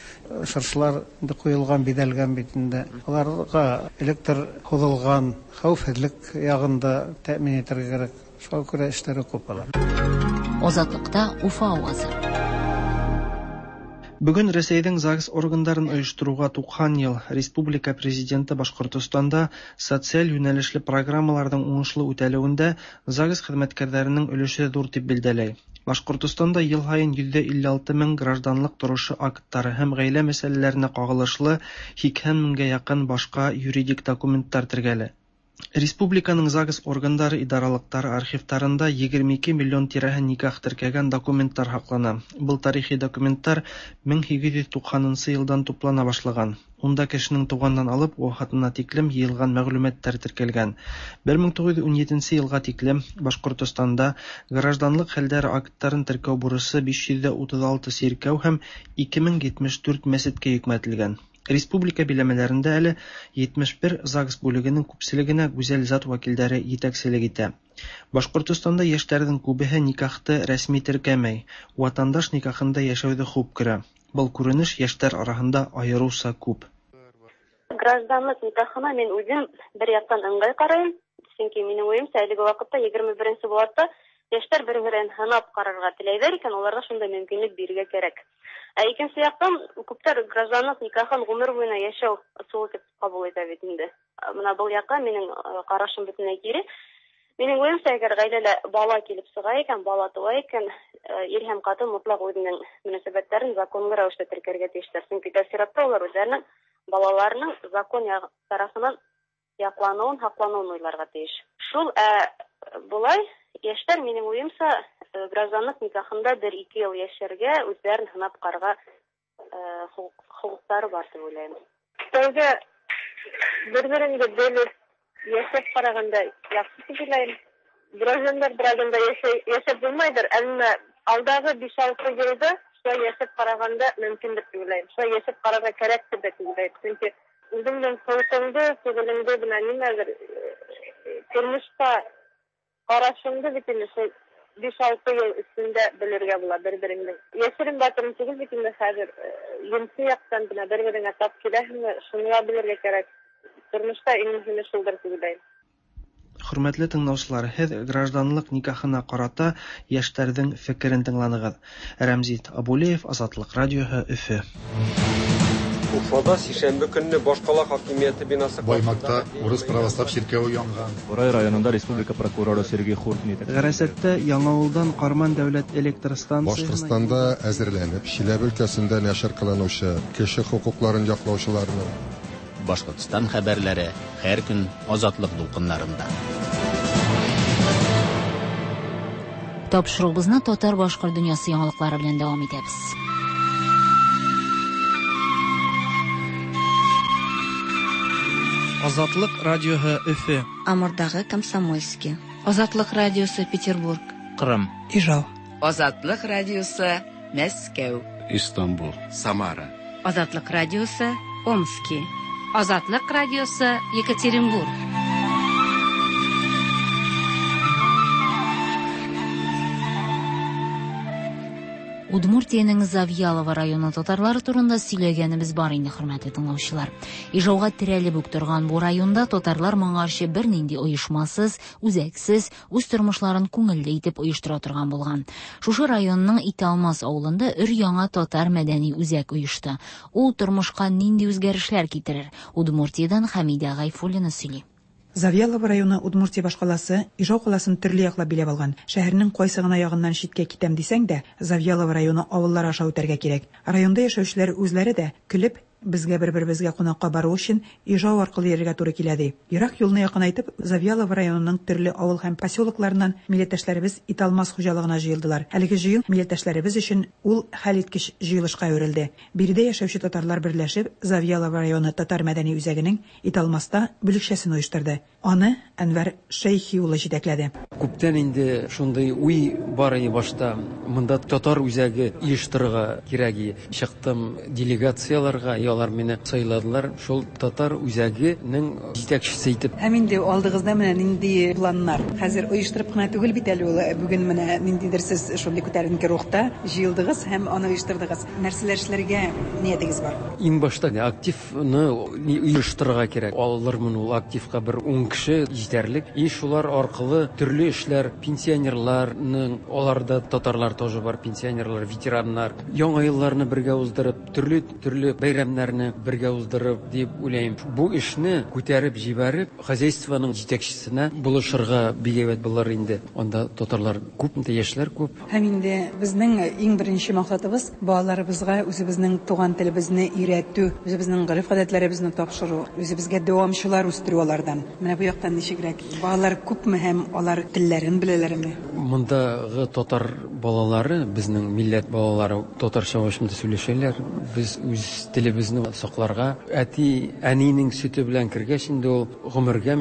Шыршылар инде ҡуйылған, биҙәлгән бит инде. Уларға электр һуҙылған, хәүефһеҙлек яғын да тәьмин итергә кәрәк. Шуға күрә эштәре күп алар. Азатлыҡта Уфа ауазы. Бүген Рәсәйнең ЗАГС органдарын оештыруга туксан ел. Республика президенты Башкортостанда социаль юнәлешле программаларның уңышлы үтәлүендә ЗАГС хезмәткәрләренең өлеше зур дип билгеләй. Башкортостанда ел һаен йөз илле алты мең гражданлык торышы актлары һәм гаилә мәсьәләләренә кагылышлы һикһән меңгә якын башка юридик документлар теркәлә. Республиканың ЗАГС органдары идаралыктары архивтарында егерме ике миллион тирәһе никах теркәгән документлар һаклана. Был тарихи документлар мең һигеҙ йөҙ туҡһанынсы йылдан туплана башлаган. Унда кешенең туғандан алып вафатына тиклем йыйылған мәғлүмәттәр теркәлгән. бер мең туғыҙ йөҙ ун етенсе йылға тиклем Башҡортостанда гражданлык хәлдәре акттарын теркәү бурысы биш йөҙ утыҙ алты сиркәү һәм ике мең етмеш дүрт мәсеткә йөкмәтелгән. Республика биләмәләрендә әле етмеш бер ЗАГС бүлегенең күпселегенә гүзәл зат вәкилдәре етәкселек итә. Башҡортостанда йәштәрҙең күбеһе никахты рәсми теркәмәй, ватандаш никахында йәшәүҙе хуп күрә. Был күренеш йәштәр араһында айырыуса күп. Гражданлык никахына мин үҙем бер яҡтан ыңғай ҡарайым, сөнки минең уйымса әлеге ваҡытта егерме беренсе быуатта йәштәр бер-берен һынап ҡарарға теләйҙәр икән, уларға шундай мөмкинлек бирергә кәрәк. Ә икенсе яҡтан, күптәр гражданлык никахын ғүмер буйына йәшәү ысулы тип ҡабул итә бит инде. Бына был яҡҡа минең ҡарашым бөтөнләй кире. Минең уйымса, әгәр ғаиләлә бала килеп сыға икән, бала тыуа икән, ир һәм ҡатын мотлаҡ үҙенең мөнәсәбәттәрен законлы рәүештә теркәргә тейештәр. Сөнки тәү сиратта улар үҙҙәренең балаларының закон тарафынан яҡланыуын, һаҡланыуын уйларға тейеш. Шул, ә былай йәштәр, минең уйымса, гражданлык никахында бер-ике йыл йәшәргә, үҙҙәрен һынап ҡарарға хоҡуҡтары бар тип уйлайым. Тәүҙә бер-береңде белеп йәшәп ҡарағанда яҡшы тип уйлайым. Граждандар брагында йәшәп булмайҙыр, әммә алдағы биш-алты йылда шулай йәшәп ҡарағанда мөмкиндер тип уйлайым. Шулай йәшәп ҡарарға кәрәктер тип уйлайым. Сөнки үҙеңдең холҡоңдо, фиғелеңде бына нимәлер тормошҡа ҡарашыңды бит инде шул биш-алты йыл эсендә белергә була бер-береңдең. Йәшерен батырын түгел бит инде хәҙер енси яҡтан бына бер-береңә тап киләһеңме, шуны ла белергә кәрәк. Тормошта иң мөһиме шулдыр тип уйлайым. Хөрмәтле тыңлаусылар, һеҙ гражданлык никахына ҡарата йәштәрҙең фекерен тыңланығыҙ. Рәмзит Абулеев, Азатлыҡ радиоһы, Өфө. Уфада сишәмбе көнне башҡала хакимиәте бинасы Баймакта урыс православ чиркәүе янган. Бурай районында республика прокуроры Сергей Хуртин Ғәрәсәттә Яңауылдан Ҡарман дәүләт электр станцияһына Башҡортостанда әҙерләнеп, Чиләбе өлкәсендә нәшер ҡылыныусы кеше хоҡуҡларын яҡлаусыларының Башҡортостан хәбәрләре һәр көн Азатлыҡ дулҡыннарында. Тапшырыуыбыҙны татар башҡорт донъясы яңалыҡлары белән дауам итәбеҙ. Азатлык радиоһы Өфө. Амурдағы Комсомольский. Азатлык радиосы Петербург. Ҡырым. Ижау. Азатлык радиосы Мәскәү. Истанбул. Самара. Азатлык радиосы Омский. Азатлык радиосы Екатеринбург. Удмуртиянең Завьялово районы татарлары турында сөйләгәнебез бар инде, хөрмәтле тыңлаучылар. Ижауга терәлеп үк торган бу районда татарлар моңарчы бернинди оешмасыз, үзәксез, үз тормышларын күңелле итеп оештыра торган булган. Шушы районның Италмас авылында өр-яңа татар мәдәни үзәк оешты. Ул тормышка нинди үзгәрешләр китерер? Удмуртиядән Хәмидә Гайфуллина сөйли. Завьялово районы Удмуртия башкаласы Ижау каласын төрле яклап биләп алган. Шәһәрнең кайсы гына ягыннан читкә китәм дисәң дә, Завьялово районы авыллары аша үтәргә кирәк. Районда яшәүчеләр үзләре дә көлеп, безгә бер-беребезгә кунакка бару өчен Ижау аркылы йөрергә туры килә ди. Ерак юлны якынайтып, Завьялово районының төрле авыл һәм поселокларыннан милләттәшләребез Италмас хуҗалыгына җыелдылар. Әлеге җыен милләттәшләребез өчен ул хәлиткеч җыелышка әверелде. Биредә яшәүче татарлар берләшеп, Завьялово районы татар мәдәни үзәгенең Италмаста бүлекчәсен оештырды. Аны Әнвәр Шәйхи улы җитәкләде. Күптән инде шундый уй бар иде башта. Монда татар үзәге оештырырга кирәк иде. Чыктым делегацияларга, алар мине сайладылар. Шул татар үзәгенең җитәкчесе итеп. Һәм инде алдыгызда менә нинди планнар? Хәзер оештырып кына түгел бит әле ул. Бүген менә ниндидер сез шундый күтәренке рухта җыелдыгыз һәм аны оештырдыгыз. Нәрсәләр эшләргә ниятегез бар? Иң башта активны оештырырга кирәк. Алырмын ул активка бер ун кеше җитәрлек. И шулар аркылы төрле эшләр, пенсионерларның, аларда татарлар тоже бар, пенсионерлар, ветераннар, яңа елларны бергә уздырып, төрле-төрле бәйрәмнәрне бергә уздырып дип уйлыйм. Бу эшне күтәреп җибәреп, хозяйствоның җитәкчесенә булышырга бик әйбәт булыр инде. Анда татарлар күп, яшьләр күп. Һәм инде безнең иң беренче максатыбыз балаларыбызга үзебезнең туган телебезне өйрәтү, үзебезнең гореф-гадәтләребезне тапшыру, үзебезгә дәвамчылар үстерү алардан. Менә бу яктан ничегрәк? Балалар күпме һәм алар телләрен беләләрме? Мондагы татар балалары, безнең милләт балалары татарча башында сөйләшәләр. Без үз телебезне сакларга, әти, әнинең сөте белән кергәч инде ул гомергә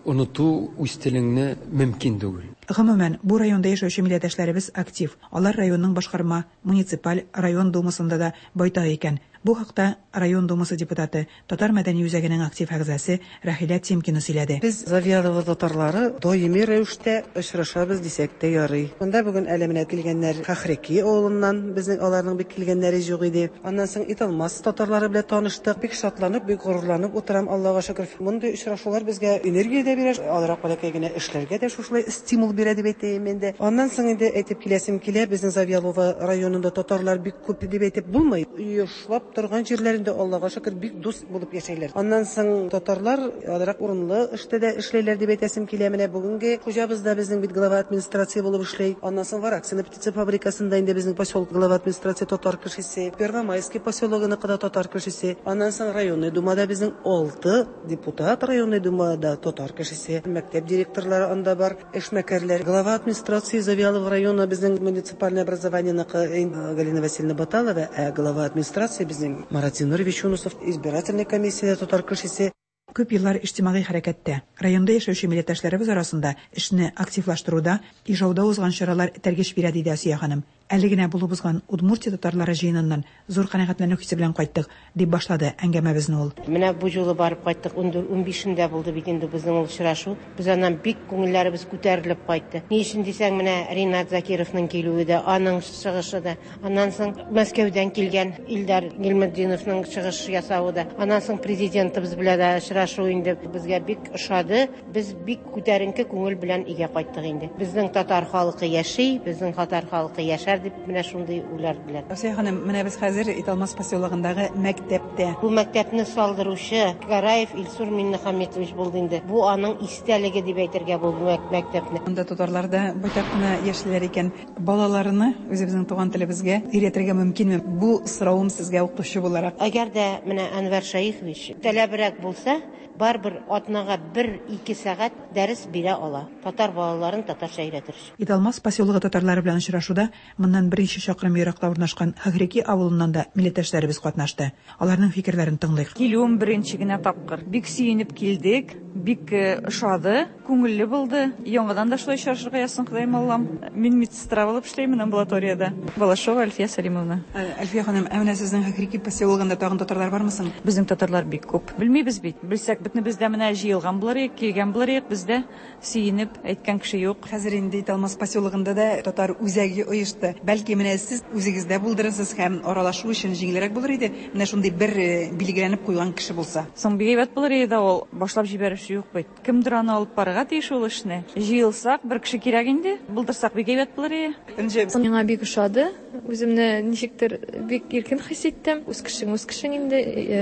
оныту үз телеңне мөмкин түгел. Гомумән, бу районда яшәүче милләттәшләребез актив. Алар районның башкарма, муниципаль, район думасында да байтак икән. Бу хакта район думасы депутаты, Татар мәдәни үзәгенең актив әгъзасы Рәхилә Тимкина сөйләде. Без Завьялово татарлары даими рәвештә очрашабыз дисәк тә ярый. Монда бүген әле менә килгәннәр Хахреки авылыннан, безнең аларның бик килгәннәре юк иде. Аннан соң Италмас татарлары белән таныштык. Бик шатланып, бик горурланып утырам, Аллага шөкер. Мондый очрашулар безгә энергия дә бирә, алрак бәләкәй генә эшләргә дә шушылай стимул бирә дип әйтәем инде. Аннан соң инде әйтеп киләсем килә, безнең Завьялово районында татарлар бик күп дип әйтеп булмый. Оешлап торган җирләрендә Аллага шөкер бик дус булып яшәйләр. Аннан соң татарлар азрак урынлы эштә дә эшләйләр дип әйтәсем килә. Менә бүгенге хуҗабыз да безнең бит глава администрация булып эшләй. Аннан соң Вараксино птица фабрикасында инде безнең поселок глава администрация татар кешесе, Первомайский поселогыныкы да татар кешесе. Аннан соң районный думада безнең алты депутат районный думада татар кешесе, мәктәп директорлары анда бар, эшмәкәрләр. Глава администрации Завьялово района безнең муниципальное образованиеныкы Галина Васильевна Баталова, ә глава администрации безнең Марат Зинурович Юнусов, избирательная комиссия татар кешесе. Күп еллар иҗтимагый хәрәкәттә, районда яшәүче милләттәшләребез арасында эшне активлаштыруда, Ижауда узган чаралар этәргеч бирә, диде Асия ханым. Әле генә булып узган Удмуртия татарлары җыеныннан зур канәгатьләнү хисе белән кайттык, дип башлады әңгәмәбезне ул. Менә бу юлы барып кайттык, ун бишендә булды бит инде безнең ул очрашу. Без аннан бик күңелләребез күтәрелеп кайтты. Ни өчен дисәң, менә Ринат Закировның килүе дә, аның чыгышы да, аннан соң Мәскәүдән килгән Илдар Гилметдиновның чыгыш ясавы да, аннан соң президентыбыз белән дә очрашу инде безгә бик ошады. Без бик күтәренке күңел белән өйгә кайттык инде. Безнең татар халкы яши, безнең татар халкы яшәр дип менә шундый уйлар белән. Асия ханым, менә без хәзер Италмас поселогындагы мәктәптә. Бу мәктәпне салдыручы Гараев Илсур Миннехаметович булды инде. Бу аның истәлеге дип әйтергә бу мәктәпне. Монда татарлар да байтак кына яшиләр икән. Балаларны үзебезнең туган телебезгә өйрәтергә мөмкинме? Бу соравым сезгә укытучы буларак. Әгәр дә менә Әнвәр Шәехович таләбрәк булса, барыбер атнага бер-ике сәгать дәрес бирә ала. Татар балаларын татарча өйрәтер. Италмас поселогы татарлары белән очрашуда моннан берничә чакрым еракта урнашкан Хахреки авылыннан да милләттәшләребез катнашты. Аларның фикерләрен тыңлыйк. Килүем беренче генә тапкыр. Бик сөенеп килдек, бик ошады, күңелле булды. Яңадан да шулай очрашырга язсын, Ходаем Аллам. Мин медсестра булып эшләймен амбулаториядә. Балашова Альфия Салимовна. Альфия ханым, ә менә сезнең Хахреки поселогында тагын татарлар бармы соң? Безнең татарлар бик күп. Белмибез бит. Белсәк, битне бездә менә җыелган булыр идек, килгән булыр идек, бездә сөенеп әйткән кеше юк. Хәзер инде Италмас поселогында да татар үзәге оешты. Бәлки менә сез үзегездә булдырырсыз һәм аралашу өчен җиңелрәк булыр иде. Менә шундый бер билгеләнеп куйган кеше булса. Соң бик әйбәт булыр иде ул. Башлап җибәрүче юк бит. Кемдер аны алып барырга тиеш ул эшне. Җыелсак, бер кеше кирәк инде. Булдырсак бик әйбәт булыр иде. Миңа бик ошады. Үземне ничектер бик иркен хис иттем. Үз кешең, үз кешең инде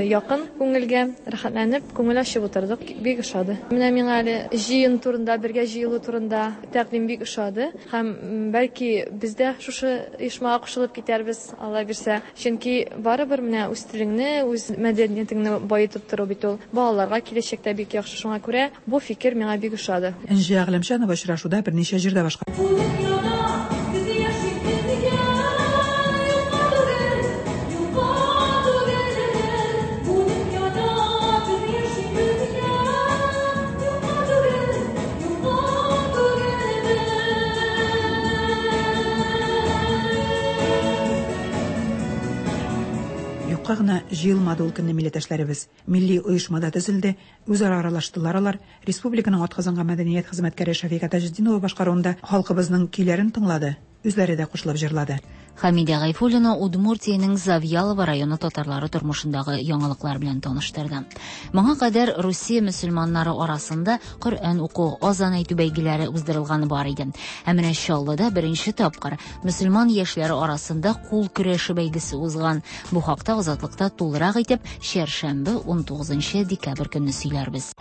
якын күңелгә, рәхәтләнеп, күңел ачып утырдык. Бик ошады. Менә миңа әле җыен турында, бергә җыелу турында тәкъдим бик ошады. Һәм бәлки без дә шушы оешмага кушылып китәрбез, Алла бирсә. Чөнки барыбер менә үз телеңне, үз мәдәниятеңне баетып тору бит ул балаларга киләчәктә бик яхшы. Шуңа күрә бу фикер миңа бик ошады. Энҗе Әгъләмчанова очрашуда берничә җирдә башка. Юкка гына җыелмады ул көнне милләттәшләребез. Милли оешмада төзелде, үзара аралаштылар алар. Республиканың атказанган мәдәният хезмәткәре Шәфика Таҗетдинова башкаруында халкыбызның көйләрен тыңлады, үзләре дә кушылып җырлады. Хәмидә Гайфуллина Удмуртиянең Завьялово районы татарлары тормышындагы яңалыклар белән таныштырды. Моңа кадәр Русия мөселманнары арасында Коръән уку, азан әйтү бәйгеләре уздырылганы бар иде. Ә менә Чаллыда беренче тапкыр мөселман яшьләре арасында кул көрәше бәйгесе узган. Бу хакта Азатлыкта тулырак итеп чәршәмбе унтугызынчы декабрь көнне сөйләрбез.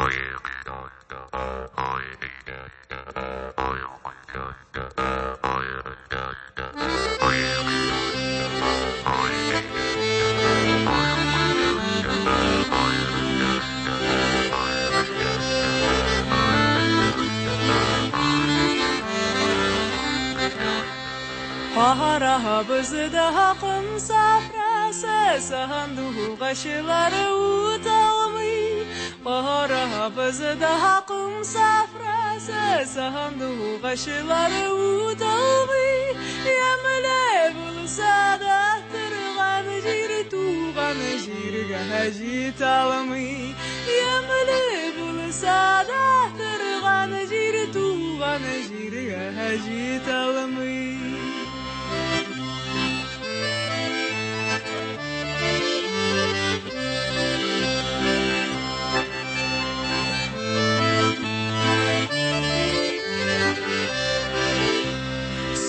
Карабызда ком сафрасы, сандугачлары үталмый. Карабызда ком сафрасы, сандугачлары үталмый. Ямьле булса да торган җир туган җиргә җитә алмый. Ямьле булса да торган җир туган җиргә җитә алмый.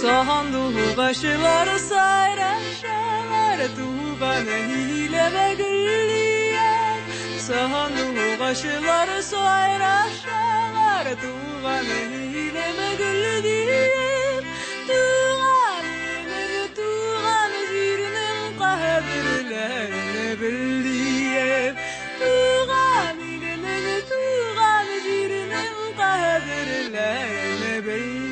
Сандугачлар сайрашалар, туган илемә гөллияр. Сандугачлар сайрашалар, туган илемә гөллияр. Туган илем, туган җирнең кадерләрен белдием. Туган илем, туган җирнең кадерләрен белдием.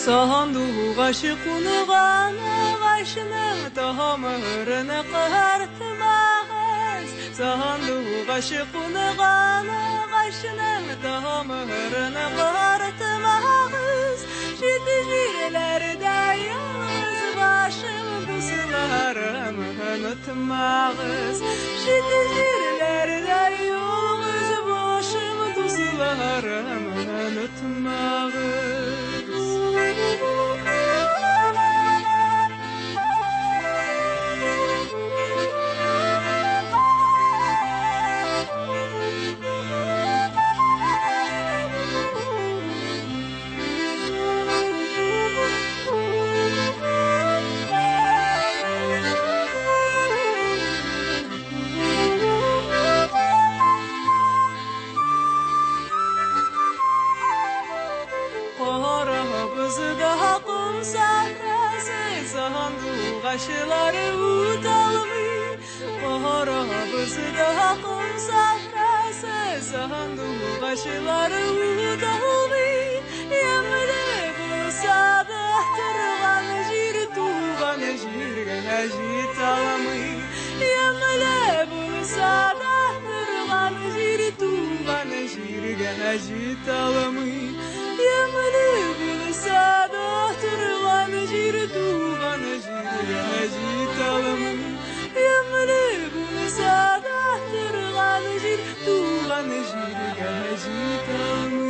Сандугач кунган агачның тамырын картмагыз. Сандугач кунган агачның тамырын картмагыз. Чит җирләрдә ялгыз башым, дусларым онытмагыз. Чит җирләрдә ялгыз башым, дусларым онытмагыз. Сандугачлары үталмый. Карабызда ком сахрасы, сандугачлары үталмый. Ямьле булса да торган җир туган җиргә җитә алмый. Ямьле булса да торган җир туган җиргә җитә алмый. Ямьле булса да торган җир туган җиргә җитә алмый. Ямьле булса да торган җир туган җиргә җитә алмый.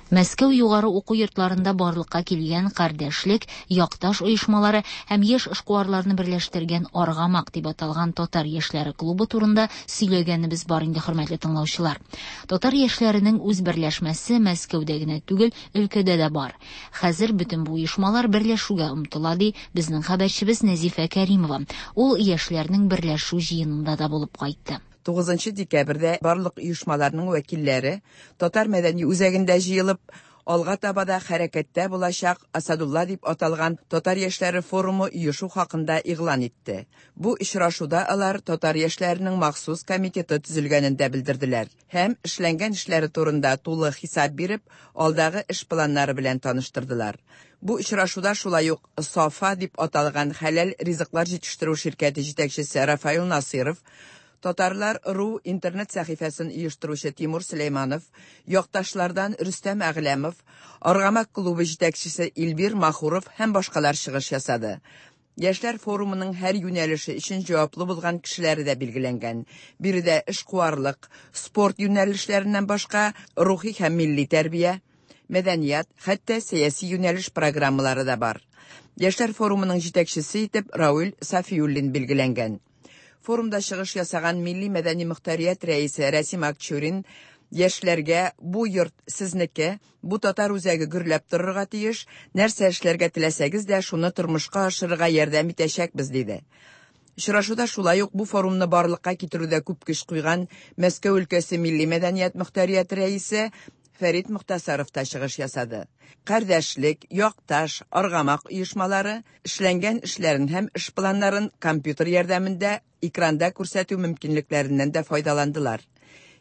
Мәскәү югары уку йортларында барлыкка килгән кардәшлек, якташ оешмалары һәм яшь эшкуарларны берләштергән Аргамак дип аталган татар яшьләре клубы турында сөйләгәнебез бар инде, хөрмәтле тыңлаучылар. Татар яшьләренең үз берләшмәсе Мәскәүдә генә түгел, өлкәдә дә бар. Хәзер бөтен бу оешмалар берләшүгә омтыла, ди безнең хәбәрчебез Нәзифә Кәримова. Ул яшьләрнең берләшү җыенында да булып кайтты. тугызынчы декабрьдә барлык оешмаларның вәкилләре Татар мәдәни үзәгендә җыелып, алга таба да хәрәкәттә булачак Асадулла дип аталган татар яшьләре форумы оешу хакында игълан итте. Бу очрашуда алар татар яшьләренең махсус комитеты төзелгәнен дә белдерделәр һәм эшләнгән эшләре турында тулы хисап биреп, алдагы эш планнары белән таныштырдылар. Бу очрашуда шулай ук Сафа дип аталган хәләл ризыклар җитештерү ширкәте җитәкчесе Рафаил Насыров, Татарлар ру интернет сәхифәсен оештыручы Тимур Сөләйманов, якташлардан Рөстәм Әгъләмов, Аргамак клубы җитәкчесе Илбир Махуров һәм башкалар чыгыш ясады. Яшьләр форумының һәр юнәлеше өчен җаваплы булган кешеләре дә билгеләнгән. Биредә эшкуарлык, спорт юнәлешләреннән башка рухи һәм милли тәрбия, мәдәният, хәтта сәяси юнәлеш программалары да бар. Яшьләр форумының җитәкчесе итеп Рауль Сафиуллин билгеләнгән. Форумда чыгыш ясаган Милли мәдәни мөхтәрият рәисе Рәсим Акчурин яшьләргә бу йорт сезнеке, бу татар үзәге гөрләп торырга тиеш, нәрсә эшләргә теләсәгез дә шуны тормышка ашырырга ярдәм итәчәкбез, диде. Очрашуда шулай ук бу форумны барлыкка китерүдә күп көч куйган Мәскәү өлкәсе Милли мәдәният мөхтәрияте рәисе Фәрит Мөхтәсаров та чыгыш ясады. Кардәшлек, якташ, Аргамак оешмалары эшләнгән эшләрен һәм эш планнарын компьютер ярдәмендә экранда күрсәтү мөмкинлекләреннән дә файдаландылар.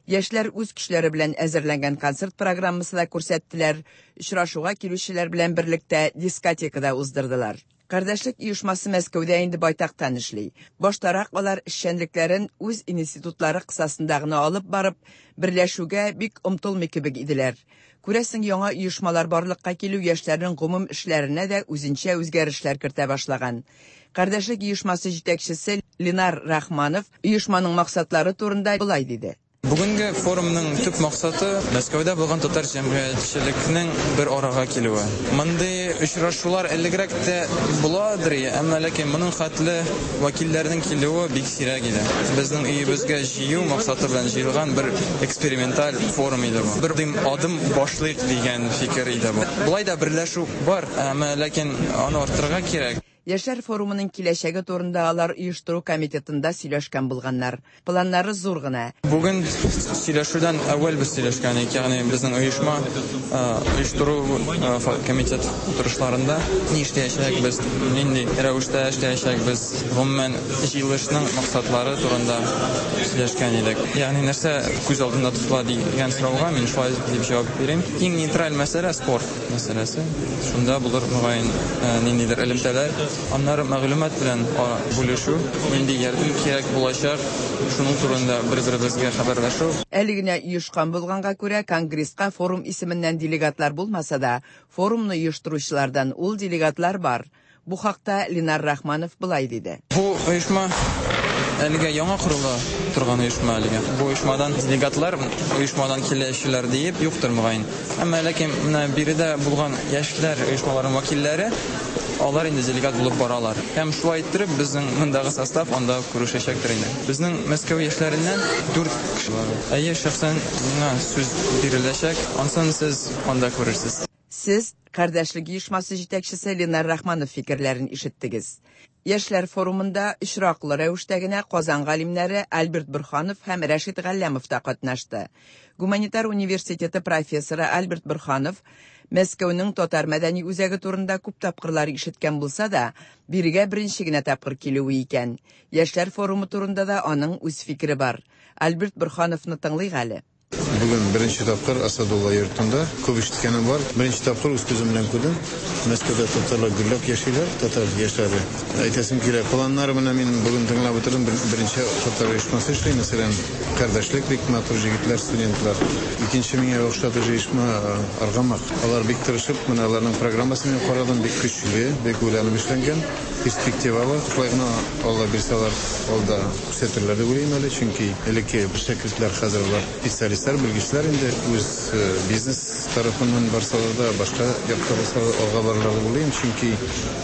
Яшьләр үз көчләре белән әзерләнгән концерт программасы да күрсәттеләр, очрашуга килүчеләр белән берлектә дискотека да уздырдылар. Кардәшлек оешмасы Мәскәүдә инде байтактан эшли. Баштарак алар эшчәнлекләрен үз институтлары кысасында гына алып барып, берләшүгә бик омтылмый кебек иделәр. Күрәсең, яңа оешмалар барлыкка килү яшьләрнең гомум эшләренә дә үзенчә үзгәрешләр кертә башлаган. Кардәшлек оешмасы җитәкчесе Ленар Рахманов оешманың максатлары турында болай диде. Бүгенге форумның төп максаты Мәскәүдә булган татар җәмгыятьчелекнең бер арага килүе. Мондый очрашулар элегрәк тә буладыр, әмма ләкин моның хәтле вәкилләрнең килүе бик сирәк иде. Безнең өебезгә җыю максаты белән җыелган бер эксперименталь форум иде бу. Бер адым башлыйк дигән фикер иде бу. Болай да берләшү бар, әмма ләкин аны арттырырга кирәк. Яшьләр форумының киләчәге турында алар оештыру комитетында сөйләшкән булганнар. Планнары зур гына. Бүген сөйләшүдән әүвәл без сөйләшкән идек, ягъни безнең оешма оештыру комитет утырышларында ни эшләячәкбез, нинди рәвештә эшләячәкбез, гомумән җыелышның максатлары турында сөйләшкән идек. Ягъни нәрсә күз алдында тотыла дигән сорауга мин шулай дип җавап бирәм. Иң нейтраль мәсьәлә спорт мәсьәләсе. Шунда булыр мөгаен ниндидер элемтәләр. Аннары мәгълүмат белән бүлешү, нинди ярдәм кирәк булачак, шуның турында бер-беребезгә хәбәрләшү. Әле генә оешкан булганга күрә конгресска форум исеменнән делегатлар булмаса да, форумны оештыручылардан ул делегатлар бар. Бу хакта Ленар Рахманов болай диде. Бу оешма әлегә яңа корыла торган оешма әлегә. Бу оешмадан делегатлар, оешмадан килүчеләр диеп юктыр мөгаен. Әмма ләкин менә биредә булган яшьләр оешмаларының вәкилләре алар инде делегат булып баралар. Һәм шулай иттереп безнең мондагы состав анда күрешәчәктер инде. Безнең Мәскәү яшьләреннән дүрт кеше бар. Әйе, шәхсән миңа сүз биреләчәк. Ансын сез анда күрерсез. Сез Кардәшлек оешмасы җитәкчесе Ленар Рахманов фикерләрен ишеттегез. Яшьләр форумында очраклы рәвештә генә Казан галимнәре Альберт Бурханов һәм Рәшит Галләмов та катнашты. Гуманитар университеты профессоры Альберт Бурханов Мәскәүнең татар мәдәни үзәге турында күп тапкырлар ишеткән булса да, бирегә беренче генә тапкыр килүе икән. Яшьләр форумы турында да аның үз фикере бар. Альберт Бурхановны тыңлыйк әле. Бүген беренче тапкыр Асадулла йортында күп ишеткәнем бар. Беренче тапкыр үз күзем белән күрдем. Мәскәүдә татарлар гөрләп яшиләр, татар яшьләре. Әйтәсем килә, планнары менә мин бүген тыңлап утырдым. Беренче татар оешмасы эшли, мәсәлән, Кардәшлек бик матур җегетләр, студентлар. Икенче миңа охшады оешма Аргамак. Алар бик тырышып, менә аларның программасын мин карадым, бик көчле, бик уйланып эшләнгән, перспективалы. Шулай гына Алла бирсә, алар алда күрсәтерләр дип уйлыйм әле, чөнки элекке шәкертләр хәзер алар специалистлар, белгечләр инде үз бизнес тарафыннан барсалар да, башка якта барсалар алга барырлар дип уйлыйм, чөнки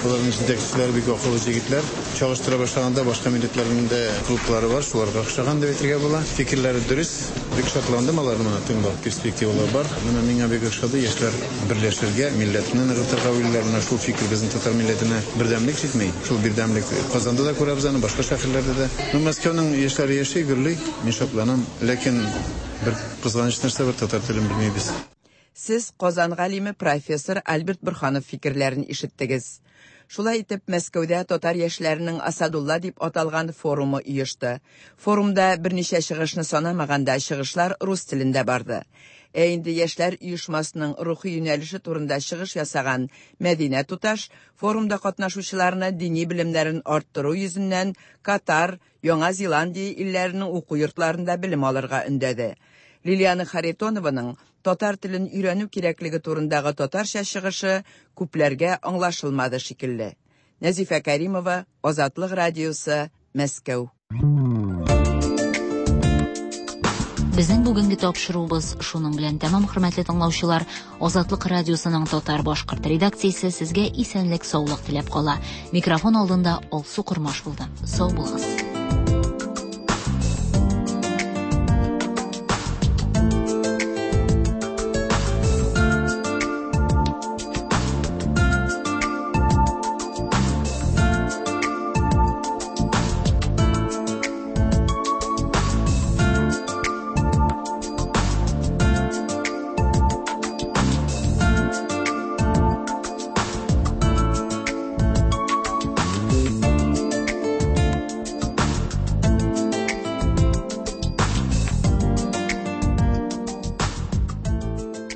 аларның җитәкчеләре бик акыллы җегетләр. Чагыштыра башлаганда башка милләтләрнең дә клублары бар, шуларга охшаган дип әйтергә була. Фикерләре дөрес, бик шатландым аларны моны тыңлап, перспективалар бар. Менә миңа бик охшады, яшьләр берләшергә, милләтне ныгытырга уйлыйлар. Менә шул фикер безнең татар милләтенә бердәмлек җитми. Шул бердәмлек Казанда да күрәбез аны, башка шәһәрләрдә дә. Ну, Мәскәүнең яшьләре яши, гөрли, мин шатланам. Ләкин бер кызганыч нәрсә бар, татар телен белмибез. Сез Казан галиме профессор Альберт Борһанов фикерләрен ишеттегез. Шулай итеп, Мәскәүдә татар яшьләренең Асадулла дип аталган форумы оешты. Форумда берничә чыгышны санамаганда чыгышлар рус телендә барды. Ә инде яшьләр оешмасының рухи юнәлеше турында чыгыш ясаган Мәдинә туташ форумда катнашучыларны дини белемнәрен арттыру йөзеннән Катар, Яңа Зеландия илләренең уку йортларында белем алырга өндәде. Лилиана Харитонованың татар телен өйрәнү кирәклеге турындагы татарча чыгышы күпләргә аңлашылмады шикелле. Нәзифә Кәримова, Азатлык радиосы, Мәскәү. Безнең бүгенге тапшыруыбыз шуның белән тәмам, хөрмәтле тыңлаучылар. Азатлык радиосының татар башкорт редакциясе сезгә исәнлек, саулык теләп кала. Микрофон алдында Алсу Кормаш булды. Сау булыгыз.